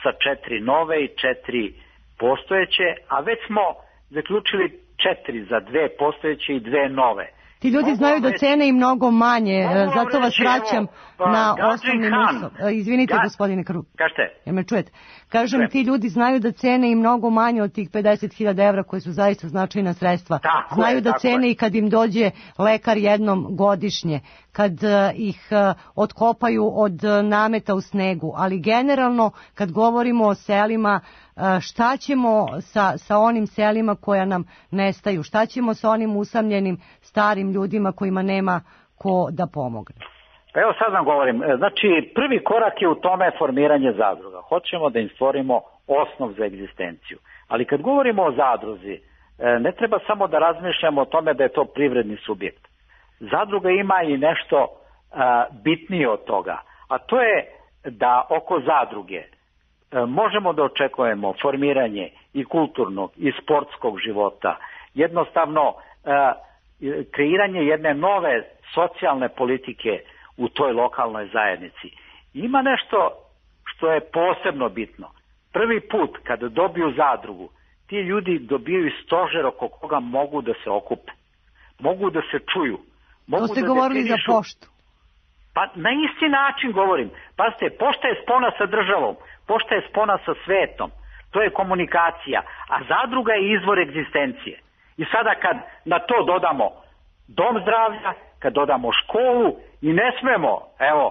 sa četiri nove i četiri postojeće, a već smo zaključili četiri za dve postojeće i dve nove. Ti ljudi mogu znaju da cene i mnogo manje, zato vas vraćam evo, na osnovni uslov. Izvinite, Ga... gospodine Krug. Kažete? Jel me čujete? Kažem, Čujem. Ti ljudi znaju da cene i mnogo manje od tih pedeset hiljada evra koje su zaista značajna sredstva. Tako znaju je, da cene je. I kad im dođe lekar jednom godišnje, kad uh, ih uh, otkopaju od uh, nameta u snegu, ali generalno kad govorimo o selima, uh, šta ćemo sa, sa onim selima koja nam nestaju, šta ćemo sa onim usamljenim starim ljudima kojima nema ko da pomogne? Pa evo sad vam govorim, znači prvi korak je u tome formiranje zadruga. Hoćemo da im stvorimo osnov za egzistenciju. Ali kad govorimo o zadruzi, ne treba samo da razmišljamo o tome da je to privredni subjekt. Zadruga ima i nešto bitnije od toga, a to je da oko zadruge možemo da očekujemo formiranje i kulturnog i sportskog života, jednostavno kreiranje jedne nove socijalne politike u toj lokalnoj zajednici. Ima nešto što je posebno bitno. Prvi put kada dobiju zadrugu, ti ljudi dobiju stožer oko koga mogu da se okupe. Mogu da se čuju. Mogu to ste da govorili definišu... za poštu. Pa na isti način govorim. Pazite, pošta je spona sa državom, pošta je spona sa svetom. To je komunikacija, a zadruga je izvor egzistencije. I sada kad na to dodamo dom zdravlja, kad dodamo školu i ne smemo, evo,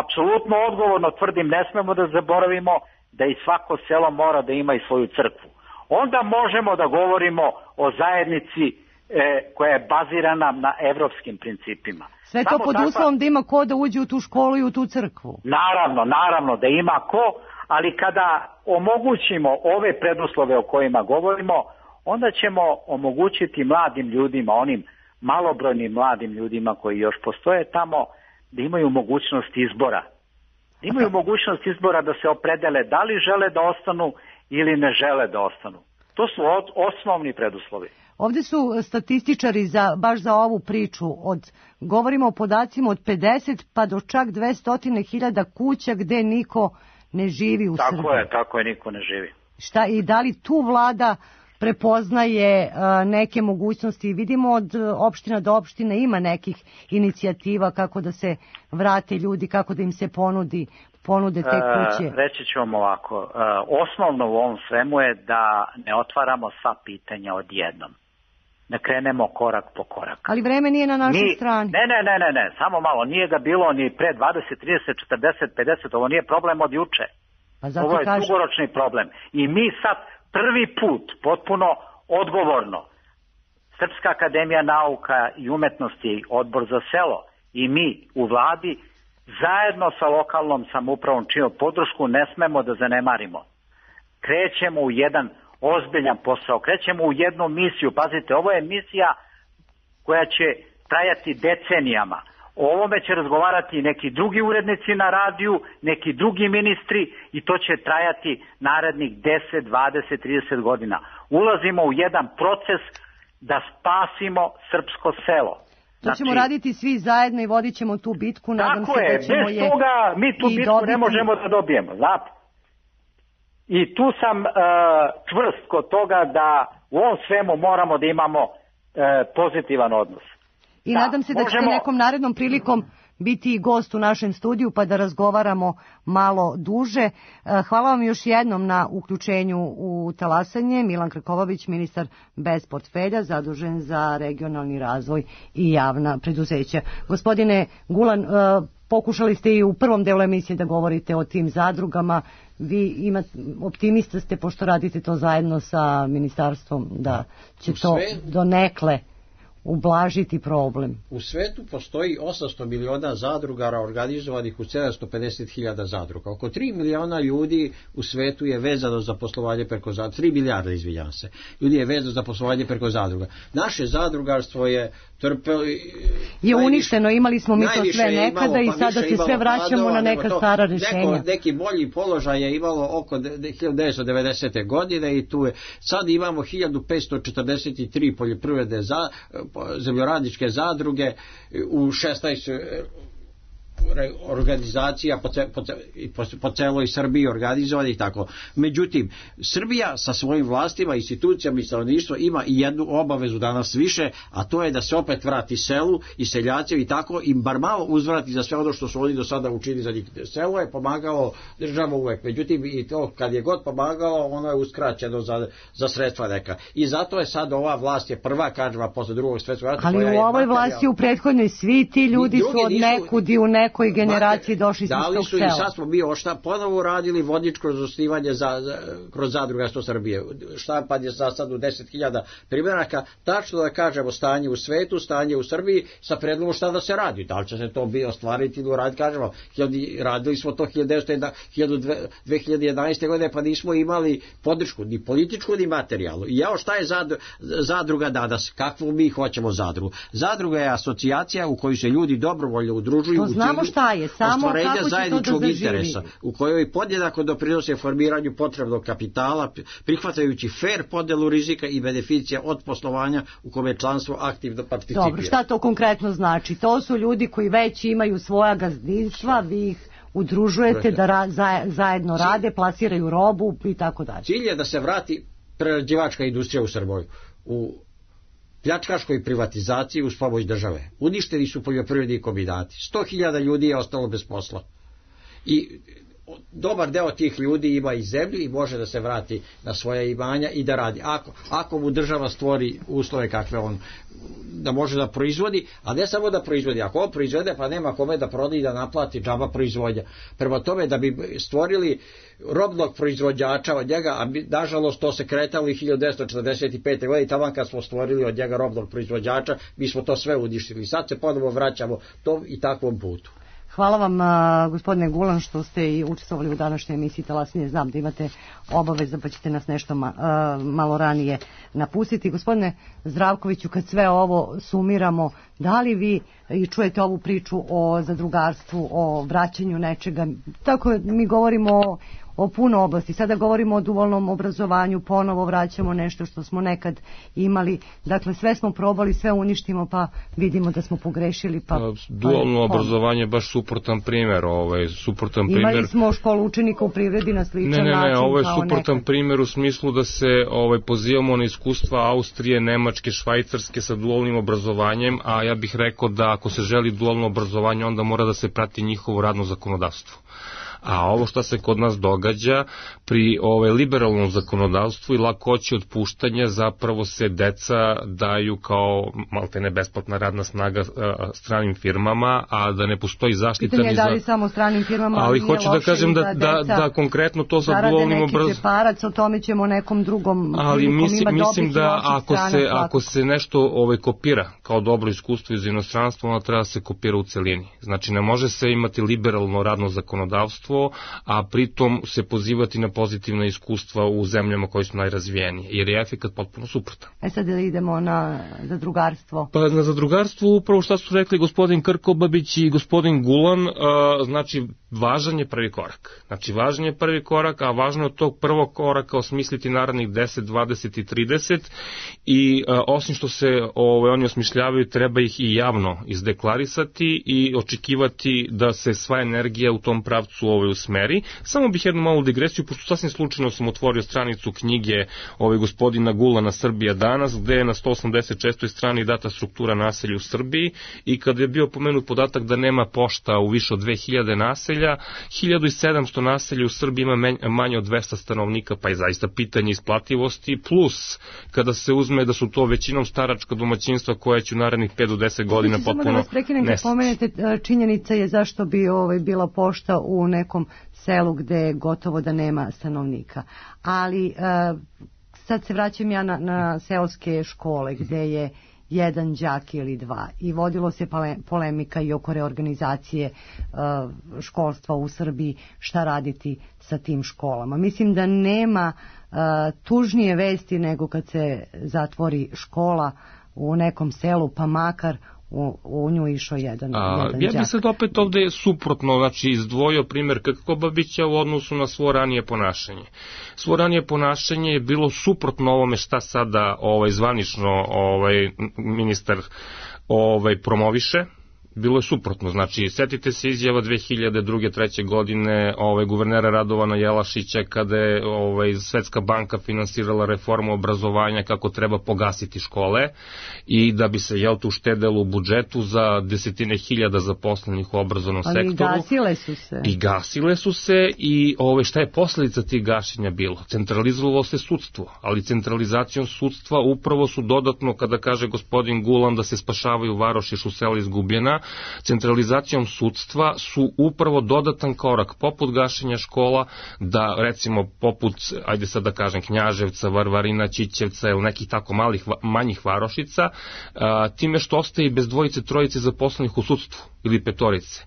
apsolutno odgovorno tvrdim, ne smemo da zaboravimo da i svako selo mora da ima i svoju crkvu. Onda možemo da govorimo o zajednici e, koja je bazirana na evropskim principima. Sve to Samo pod takva... uslovom da ima ko da uđe u tu školu i u tu crkvu. Naravno, naravno da ima ko, ali kada omogućimo ove preduslove o kojima govorimo, onda ćemo omogućiti mladim ljudima, onim malobrojnim mladim ljudima koji još postoje tamo, da imaju mogućnost izbora. Da imaju mogućnost izbora da se opredele da li žele da ostanu ili ne žele da ostanu. To su od, osnovni preduslovi. Ovdje su statističari za, baš za ovu priču, od, govorimo o podacima od pedeset pa do čak dvesta hiljada kuća gde niko ne živi u tako Srbiji. Tako je, tako je, niko ne živi. Šta, i da li tu vlada prepoznaje neke mogućnosti. Vidimo od opština do opštine ima nekih inicijativa kako da se vrate ljudi, kako da im se ponudi ponude te kuće. E, reći ću vam ovako, e, osnovno u ovom svemu je da ne otvaramo sva pitanja odjednom. Da krenemo korak po korak. Ali vreme nije na našoj Mi, strani. Ne, ne, ne, ne, ne, samo malo, nije ga bilo ni pre dvadeset, trideset, četrdeset, pedeset, ovo nije problem od juče. Pa zato ovo je kažem... dugoročni problem. I mi sad prvi put, potpuno odgovorno, Srpska akademija nauka i umetnosti, Odbor za selo i mi u vladi, zajedno sa lokalnom samoupravom čiju podršku ne smemo da zanemarimo. Krećemo u jedan ozbiljan posao, krećemo u jednu misiju. Pazite, ovo je misija koja će trajati decenijama. O ovome će razgovarati neki drugi urednici na radiju, neki drugi ministri i to će trajati narednih deset, dvadeset, trideset godina. Ulazimo u jedan proces da spasimo srpsko selo. To ćemo znači, raditi svi zajedno i vodit ćemo tu bitku. Nadam tako se je, da ćemo bez je toga mi tu bitku dobiti. ne možemo da dobijemo, znate. I tu sam uh, čvrst kod toga da u ovom svemu moramo da imamo uh, pozitivan odnos. I da, nadam se da možemo... ćete nekom narednom prilikom biti i gost u našem studiju pa da razgovaramo malo duže. Hvala vam još jednom na uključenju u talasanje. Milan Krkobabić, ministar bez portfelja, zadužen za regionalni razvoj i javna preduzeća. Gospodine Gulan, pokušali ste i u prvom delu emisije da govorite o tim zadrugama. Vi imate, optimista ste pošto radite to zajedno sa ministarstvom da će to donekle ublažiti problem. U svetu postoji osamsto miliona zadrugara organizovanih u sedamsto pedeset hiljada zadruga. Oko tri miliona ljudi u svetu je vezano za poslovanje preko zadruga. tri milijarde, izvinjam se. Ljudi je vezano za poslovanje preko zadruga. Naše zadrugarstvo je trpelo... Je uništeno, imali smo mi to sve nekada imalo, i sada se sve vraćamo padova, na neka to, stara rješenja. Neko, neki bolji položaj je imalo oko hiljadu devetsto devedesete. godine i tu je, sad imamo hiljadu petsto četrdeset tri poljoprivredne za, zemljoradničke zadruge u šesnaest organizacija po, ce, po, po, po celoj Srbiji organizovani i tako. Međutim, Srbija sa svojim vlastima, institucijama i stanovništvo ima i jednu obavezu danas više, a to je da se opet vrati selu i seljacima i tako im bar malo uzvrati za sve ono što su oni do sada učinili za njih. Selo je pomagalo država uvek, međutim i to kad je god pomagalo, ono je uskraćeno za, za sredstva neka. I zato je sad ova vlast je prva kažva posle drugog svetskog rata. Ali u ovoj vlasti u prethodnoj svi ti ljudi su od nekud i u nekoj generaciji došli smo s tog sela. I sad smo mi šta ponovo radili vodničko zasnivanje za, za, kroz zadrugarstvo Srbije. Štampan je za sad u deset hiljada primjeraka. Tačno da kažemo stanje u svetu, stanje u Srbiji sa predlogom šta da se radi. Da li će se to bi ostvariti ili uraditi, kažemo. Radili smo to dve hiljade jedanaeste. godine pa nismo imali podršku, ni političku, ni materijalnu. I evo šta je zadruga danas? Kakvu mi hoćemo zadrugu? Zadruga je asocijacija u kojoj se ljudi dobrovoljno udružuju u znamo šta je, samo kako će to da interesa, u kojoj podjednako doprinose formiranju potrebnog kapitala, prihvatajući fair podelu rizika i beneficija od poslovanja u kome članstvo aktivno participira. Dobro, šta to konkretno znači? To su ljudi koji već imaju svoja gazdinstva, vi ih udružujete da ra, zajedno rade, plasiraju robu i tako dalje. Cilj je da se vrati prerađivačka industrija u Srbiju. U pljačkaškoj privatizaciji uz pomoć države. Uništeni su poljoprivredni kombinati. sto hiljada ljudi je ostalo bez posla. I dobar deo tih ljudi ima i zemlju i može da se vrati na svoje imanja i da radi. Ako, ako mu država stvori uslove kakve on da može da proizvodi, a ne samo da proizvodi. Ako on proizvede, pa nema kome da proda i da naplati džaba proizvodnja. Prema tome, da bi stvorili robnog proizvođača od njega, a mi, nažalost to se kretalo i hiljadu devetsto četrdeset pete. godine i tamo kad smo stvorili od njega robnog proizvođača, mi smo to sve uništili. Sad se ponovo vraćamo tom i takvom putu. Hvala vam, uh, gospodine Gulan, što ste i učestvovali u današnjoj emisiji Talasnije. Znam da imate obaveza pa ćete nas nešto ma, uh, malo ranije napustiti. Gospodine Zdravkoviću, kad sve ovo sumiramo, da li vi i čujete ovu priču o zadrugarstvu, o vraćanju nečega, tako mi govorimo o, o puno oblasti. Sada govorimo o dualnom obrazovanju, ponovo vraćamo nešto što smo nekad imali. Dakle, sve smo probali, sve uništimo, pa vidimo da smo pogrešili. Pa, pa, dualno pa obrazovanje je baš suprotan primjer. Ovaj, suprotan imali primjer... smo školu učenika u privredi na sličan način. Ne, ne, ne, način, ovo je suprotan nekad. primjer u smislu da se ovaj, pozivamo na iskustva Austrije, Nemačke, Švajcarske sa dualnim obrazovanjem, a ja bih rekao da ako se želi dualno obrazovanje, onda mora da se prati njihovo radno zakonodavstvo. A ovo što se kod nas događa pri ovaj, liberalnom zakonodavstvu i lakoći otpuštanja, zapravo se deca daju kao maltene besplatna radna snaga a, stranim firmama, a da ne postoji zaštita pitanje ni za... za... da li samo stranim firmama, ali hoću da kažem da, da, da konkretno to sa dualnim obrazovanjem... Preparac, o tome ćemo nekom drugom... Ali mislim, mislim da ako se, strana, ako se nešto ovaj, kopira kao dobro iskustvo iz inostranstva, ono treba da se kopira u celini. Znači ne može se imati liberalno radno zakonodavstvo, a pritom se pozivati na pozitivna iskustva u zemljama koje su najrazvijenije, jer je efekat potpuno suprotan. E sad da idemo na zadrugarstvo. Pa na zadrugarstvo upravo što su rekli gospodin Krkobabić i gospodin Gulan, a, znači važan je prvi korak. Znači važan je prvi korak, a važno je od tog prvog koraka osmisliti narednih deset, dvadeset i trideset i a, osim što se ove, oni osmišljavaju, treba ih i javno izdeklarisati i očekivati da se sva energija u tom pravcu ove, usmeri. Samo bih jednu malu digresiju, pošto sasvim slučajno sam otvorio stranicu knjige ove, gospodina Gulana Srbija danas, gde je na sto osamdeset šestoj strani data struktura naselja u Srbiji i kada je bio pomenut podatak da nema pošta u više od dve hiljade naselja, hiljadu sedamsto naselja u Srbiji ima manje od dvesta stanovnika, pa je zaista pitanje isplativosti, plus kada se uzme da su to većinom staračka domaćinstva koja će u narednih pet do deset godina potpuno nestati. Samo da vas prekinem, kad pomenete, činjenica je zašto bi ovaj, bila pošta u nekom selu gde gotovo da nema stanovnika. Ali uh, sad se vraćam ja na, na seoske škole gde je jedan đak ili dva i vodilo se polemika i oko reorganizacije uh, školstva u Srbiji, šta raditi sa tim školama. Mislim da nema uh, tužnije vesti nego kad se zatvori škola u nekom selu, pa makar U, u nju išao jedan, A, jedan ja đak. bih sad opet ovde suprotno, znači izdvojio primjer Krkobabića u odnosu na svo ranije ponašanje. Svo ranije ponašanje je bilo suprotno ovome šta sada ovaj, zvanično ovaj, ministar ovaj, promoviše. Bilo je suprotno, znači setite se izjava dve hiljade druge treće godine ovaj, guvernera Radovana Jelašića kada je ovaj, Svetska banka finansirala reformu obrazovanja kako treba pogasiti škole i da bi se jel tu uštedelo u budžetu za desetine hiljada zaposlenih u obrazovnom ali sektoru. Ali gasile su se. I gasile su se i ovaj, šta je posljedica tih gašenja bilo? Centralizovalo se sudstvo, ali centralizacijom sudstva upravo su dodatno, kada kaže gospodin Gulan da se spašavaju varoši što sela izgubljena, centralizacijom sudstva su upravo dodatan korak poput gašenja škola da recimo poput, ajde sad da kažem, Knjaževca, Varvarina, Ćićevca ili nekih tako malih, manjih varošica, a, time što ostaje bez dvojice, trojice zaposlenih u sudstvu ili petorice.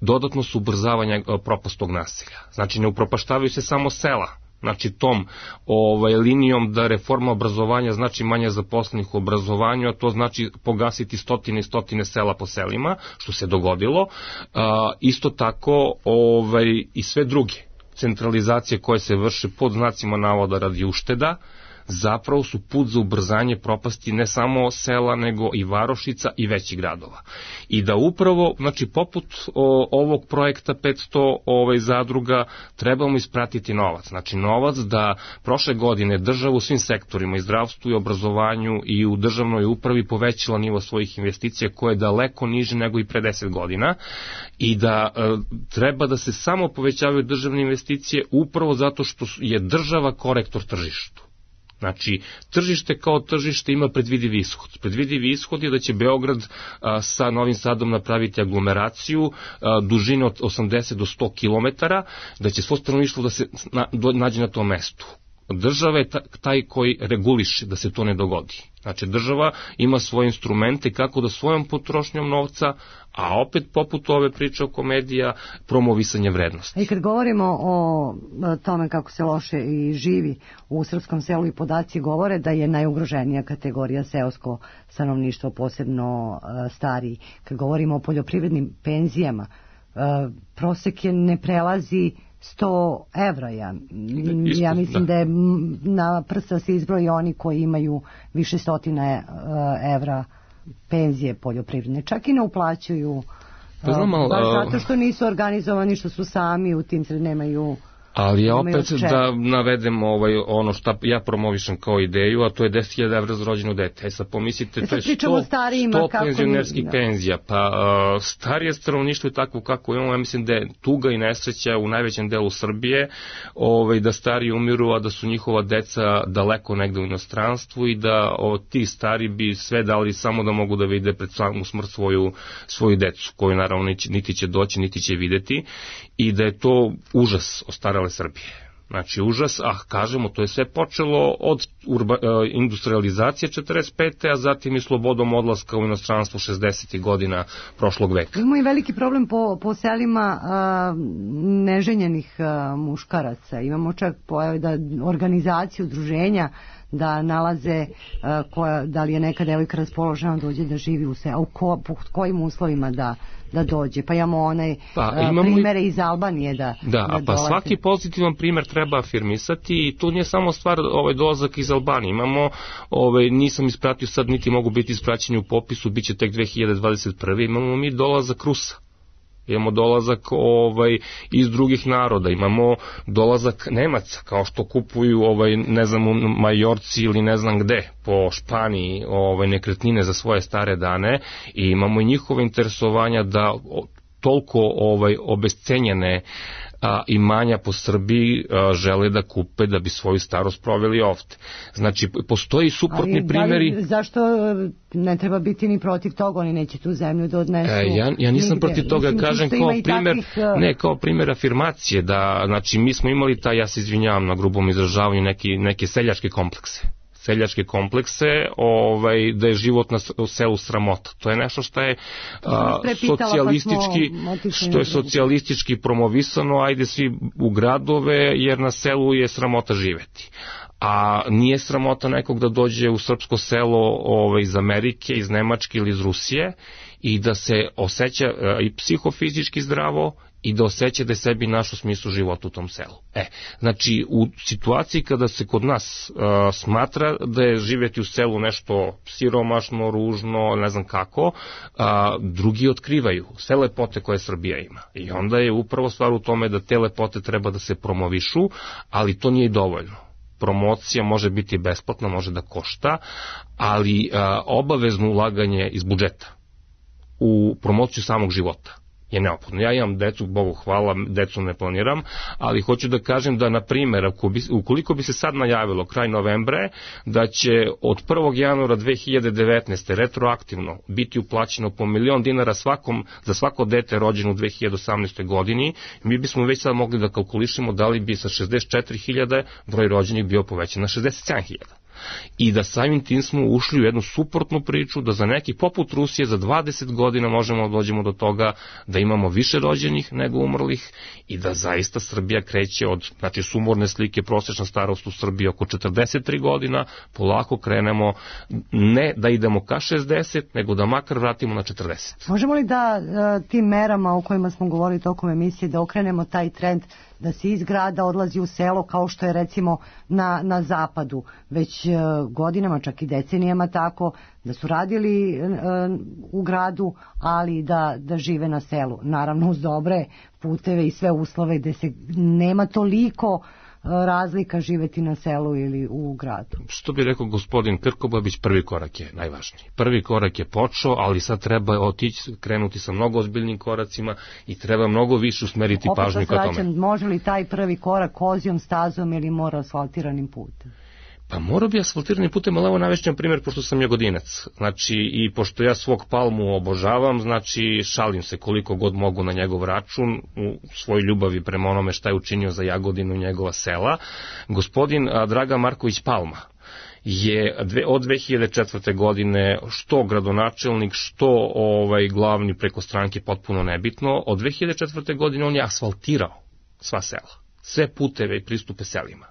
Dodatno su ubrzavanja propastog naselja. Znači ne upropaštavaju se samo sela, znači tom ovaj, linijom da reforma obrazovanja znači manje zaposlenih u obrazovanju, a to znači pogasiti stotine i stotine sela po selima, što se dogodilo. A, isto tako ovaj, i sve druge centralizacije koje se vrše pod znacima navoda radi ušteda, zapravo su put za ubrzanje propasti ne samo sela, nego i varošica i većih gradova. I da upravo, znači, poput o, ovog projekta petsto ovaj, zadruga, trebamo ispratiti novac. Znači, novac da prošle godine država u svim sektorima, i zdravstvu, i obrazovanju, i u državnoj upravi povećala nivo svojih investicija, koje je daleko niže nego i pre deset godina, i da e, treba da se samo povećavaju državne investicije upravo zato što je država korektor tržištu. Znači, tržište kao tržište ima predvidivi ishod. Predvidivi ishod je da će Beograd a, sa Novim Sadom napraviti aglomeraciju a, dužine od osamdeset do sto kilometara, da će svo stanovništvo da se na, do, nađe na tom mestu. Država je taj koji reguliše da se to ne dogodi. Znači, država ima svoje instrumente kako da svojom potrošnjom novca, a opet poput ove priče o komedija, promovisanje vrednosti. I kad govorimo o tome kako se loše i živi u srpskom selu, i podaci govore da je najugroženija kategorija seosko stanovništvo, posebno stariji. Kad govorimo o poljoprivrednim penzijama, prosek je ne prelazi sto evra. Ja, ja mislim da. da je na prsta se izbroji oni koji imaju više stotina evra penzije poljoprivredne. Čak i ne uplaćuju, pa znam, ali, baš zato što nisu organizovani, što su sami u tim sred nemaju. Ali ja opet da navedem ovaj, ono što ja promovišem kao ideju, a to je deset hiljada evra za rođeno dete. E sad pomislite, e sad to je sto, sto penzionerskih mi... penzija. Pa uh, starije stanovništvo je takvo kako imamo, ja mislim da je tuga i nesreća u najvećem delu Srbije, ovaj, da stari umiru, a da su njihova deca daleko negde u inostranstvu i da o, ti stari bi sve dali samo da mogu da vide pred samu smrt svoju, svoju decu, koju naravno niti će doći, niti će videti, i da je to užas ostarale Srbije. Znači užas, a kažemo, to je sve počelo od urba, industrializacije četrdeset pete. a zatim i slobodom odlaska u inostranstvo šezdesetih godina prošlog veka. Imamo i veliki problem po, po selima a, neženjenih a, muškaraca. Imamo čak pojave da organizaciju udruženja da nalaze uh, koja, da li je neka devojka raspoložena dođe da živi u selu, u ko, po kojim uslovima da, da dođe. Pa imamo onaj pa, uh, primere i... iz Albanije da, da, da pa dolaze. Svaki pozitivan primer treba afirmisati i tu nije samo stvar ovaj dolazak iz Albanije. Imamo, ovaj, nisam ispratio sad, niti mogu biti ispraćeni u popisu, bit će tek dve hiljade dvadeset prve. Imamo mi dolazak Rusa. Imamo dolazak ovaj, iz drugih naroda, imamo dolazak Nemaca, kao što kupuju ovaj, ne znam, u Majorci ili ne znam gde, po Španiji ovaj, nekretnine za svoje stare dane, i imamo i njihove interesovanja da toliko ovaj, obescenjene a, imanja po Srbiji a, žele da kupe da bi svoju starost proveli ovde. Znači, postoji suprotni ali, primjeri... Ali, zašto ne treba biti ni protiv toga, oni neće tu zemlju da odnesu? E, ja, ja nisam nigde. Protiv toga, mislim, kažem kao primjer, takvih... ne, kao primjer afirmacije, da, znači, mi smo imali taj, ja se izvinjavam na grubom izražavanju, neki, neke seljačke komplekse. seljačke komplekse, ovaj, da je život na selu sramota. To je nešto što je a, socijalistički, što je socijalistički promovisano, ajde svi u gradove, jer na selu je sramota živeti. A nije sramota nekog da dođe u srpsko selo ovaj, iz Amerike, iz Nemačke ili iz Rusije i da se osjeća a, i psihofizički zdravo i da osjeća da je sebi našo smislu života u tom selu. E, znači, u situaciji kada se kod nas uh, smatra da je živjeti u selu nešto siromašno, ružno, ne znam kako, uh, drugi otkrivaju sve lepote koje Srbija ima. I onda je upravo stvar u tome da te lepote treba da se promovišu, ali to nije dovoljno. Promocija može biti besplatna, može da košta, ali uh, obavezno ulaganje iz budžeta u promociju samog života je neophodno. Ja imam decu, Bogu hvala, decu ne planiram, ali hoću da kažem da, na primjer, ukoliko bi se sad najavilo kraj novembra da će od prvog januara dve hiljade devetnaeste. retroaktivno biti uplaćeno po milion dinara svakom, za svako dete rođeno u dve hiljade osamnaestoj. godini, mi bismo već sad mogli da kalkulišemo da li bi sa šezdeset četiri hiljade broj rođenih bio povećan na šezdeset sedam hiljada. I da samim tim smo ušli u jednu suprotnu priču, da za neki poput Rusije za dvadeset godina možemo da dođemo do toga da imamo više rođenih nego umrlih i da zaista Srbija kreće od, znači, sumorne slike, prosječna starost u Srbiji oko četrdeset tri godina, polako krenemo, ne da idemo ka šezdeset, nego da makar vratimo na četrdeset. Možemo li da tim merama o kojima smo govorili tokom emisije da okrenemo taj trend da se iz grada odlazi u selo, kao što je recimo na, na zapadu već uh, godinama, čak i decenijama tako, da su radili uh, u gradu, ali da, da žive na selu. Naravno uz dobre puteve i sve uslove gde se nema toliko razlika živeti na selu ili u gradu. Što bi rekao gospodin Krkobabić, prvi korak je najvažniji. Prvi korak je počeo, ali sad treba otići, krenuti sa mnogo ozbiljnim koracima i treba mnogo više usmeriti opet pažnju ka tome. Može li taj prvi korak kozijom stazom ili mora asfaltiranim putem? Pa morao bi asfaltiranim putem, ali evo navešćem primjer, pošto sam Jagodinac. Znači, i pošto ja svog Palmu obožavam, znači, šalim se koliko god mogu na njegov račun, u svoj ljubavi prema onome šta je učinio za Jagodinu, njegova sela. Gospodin Dragan Marković Palma je od dve hiljade četvrte. godine što gradonačelnik, što ovaj glavni preko stranke, potpuno nebitno. Od dve hiljade četvrte. godine on je asfaltirao sva sela, sve puteve i pristupe selima.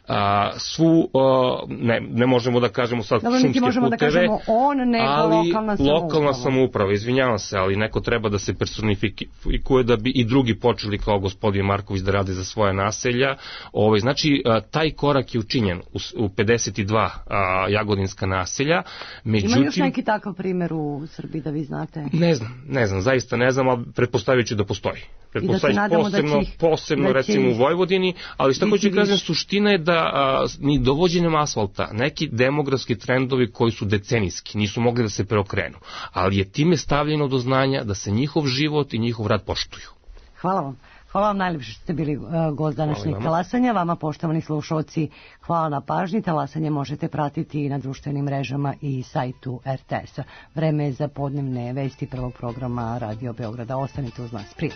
a, svu, a, ne, ne možemo da kažemo sad Dobro, šumske možemo puteve, da kažemo on, nego ali lokalna samouprava. lokalna samouprava, izvinjavam se, ali neko treba da se personifikuje da bi i drugi počeli kao gospodin Marković da rade za svoje naselja. Ovaj, znači, a, taj korak je učinjen u, u pedeset dva a, jagodinska naselja. Međutim, ima još neki takav primjer u Srbiji da vi znate? Ne znam, ne znam, zaista ne znam, ali pretpostavit ću da postoji. Pretpostavit ću da posebno, ih, posebno recimo u Vojvodini, ali šta hoću kažem, suština je da a, ni dovođenjem asfalta neki demografski trendovi koji su decenijski nisu mogli da se preokrenu, ali je time stavljeno do znanja da se njihov život i njihov rad poštuju. Hvala vam. Hvala vam najljepše što ste bili uh, gost današnjeg talasanja. Vama, poštovani slušalci, hvala na pažnji. Talasanje možete pratiti i na društvenim mrežama i sajtu er te es-a. Vreme je za podnevne vesti prvog programa Radio Beograda. Ostanite uz nas. Prije.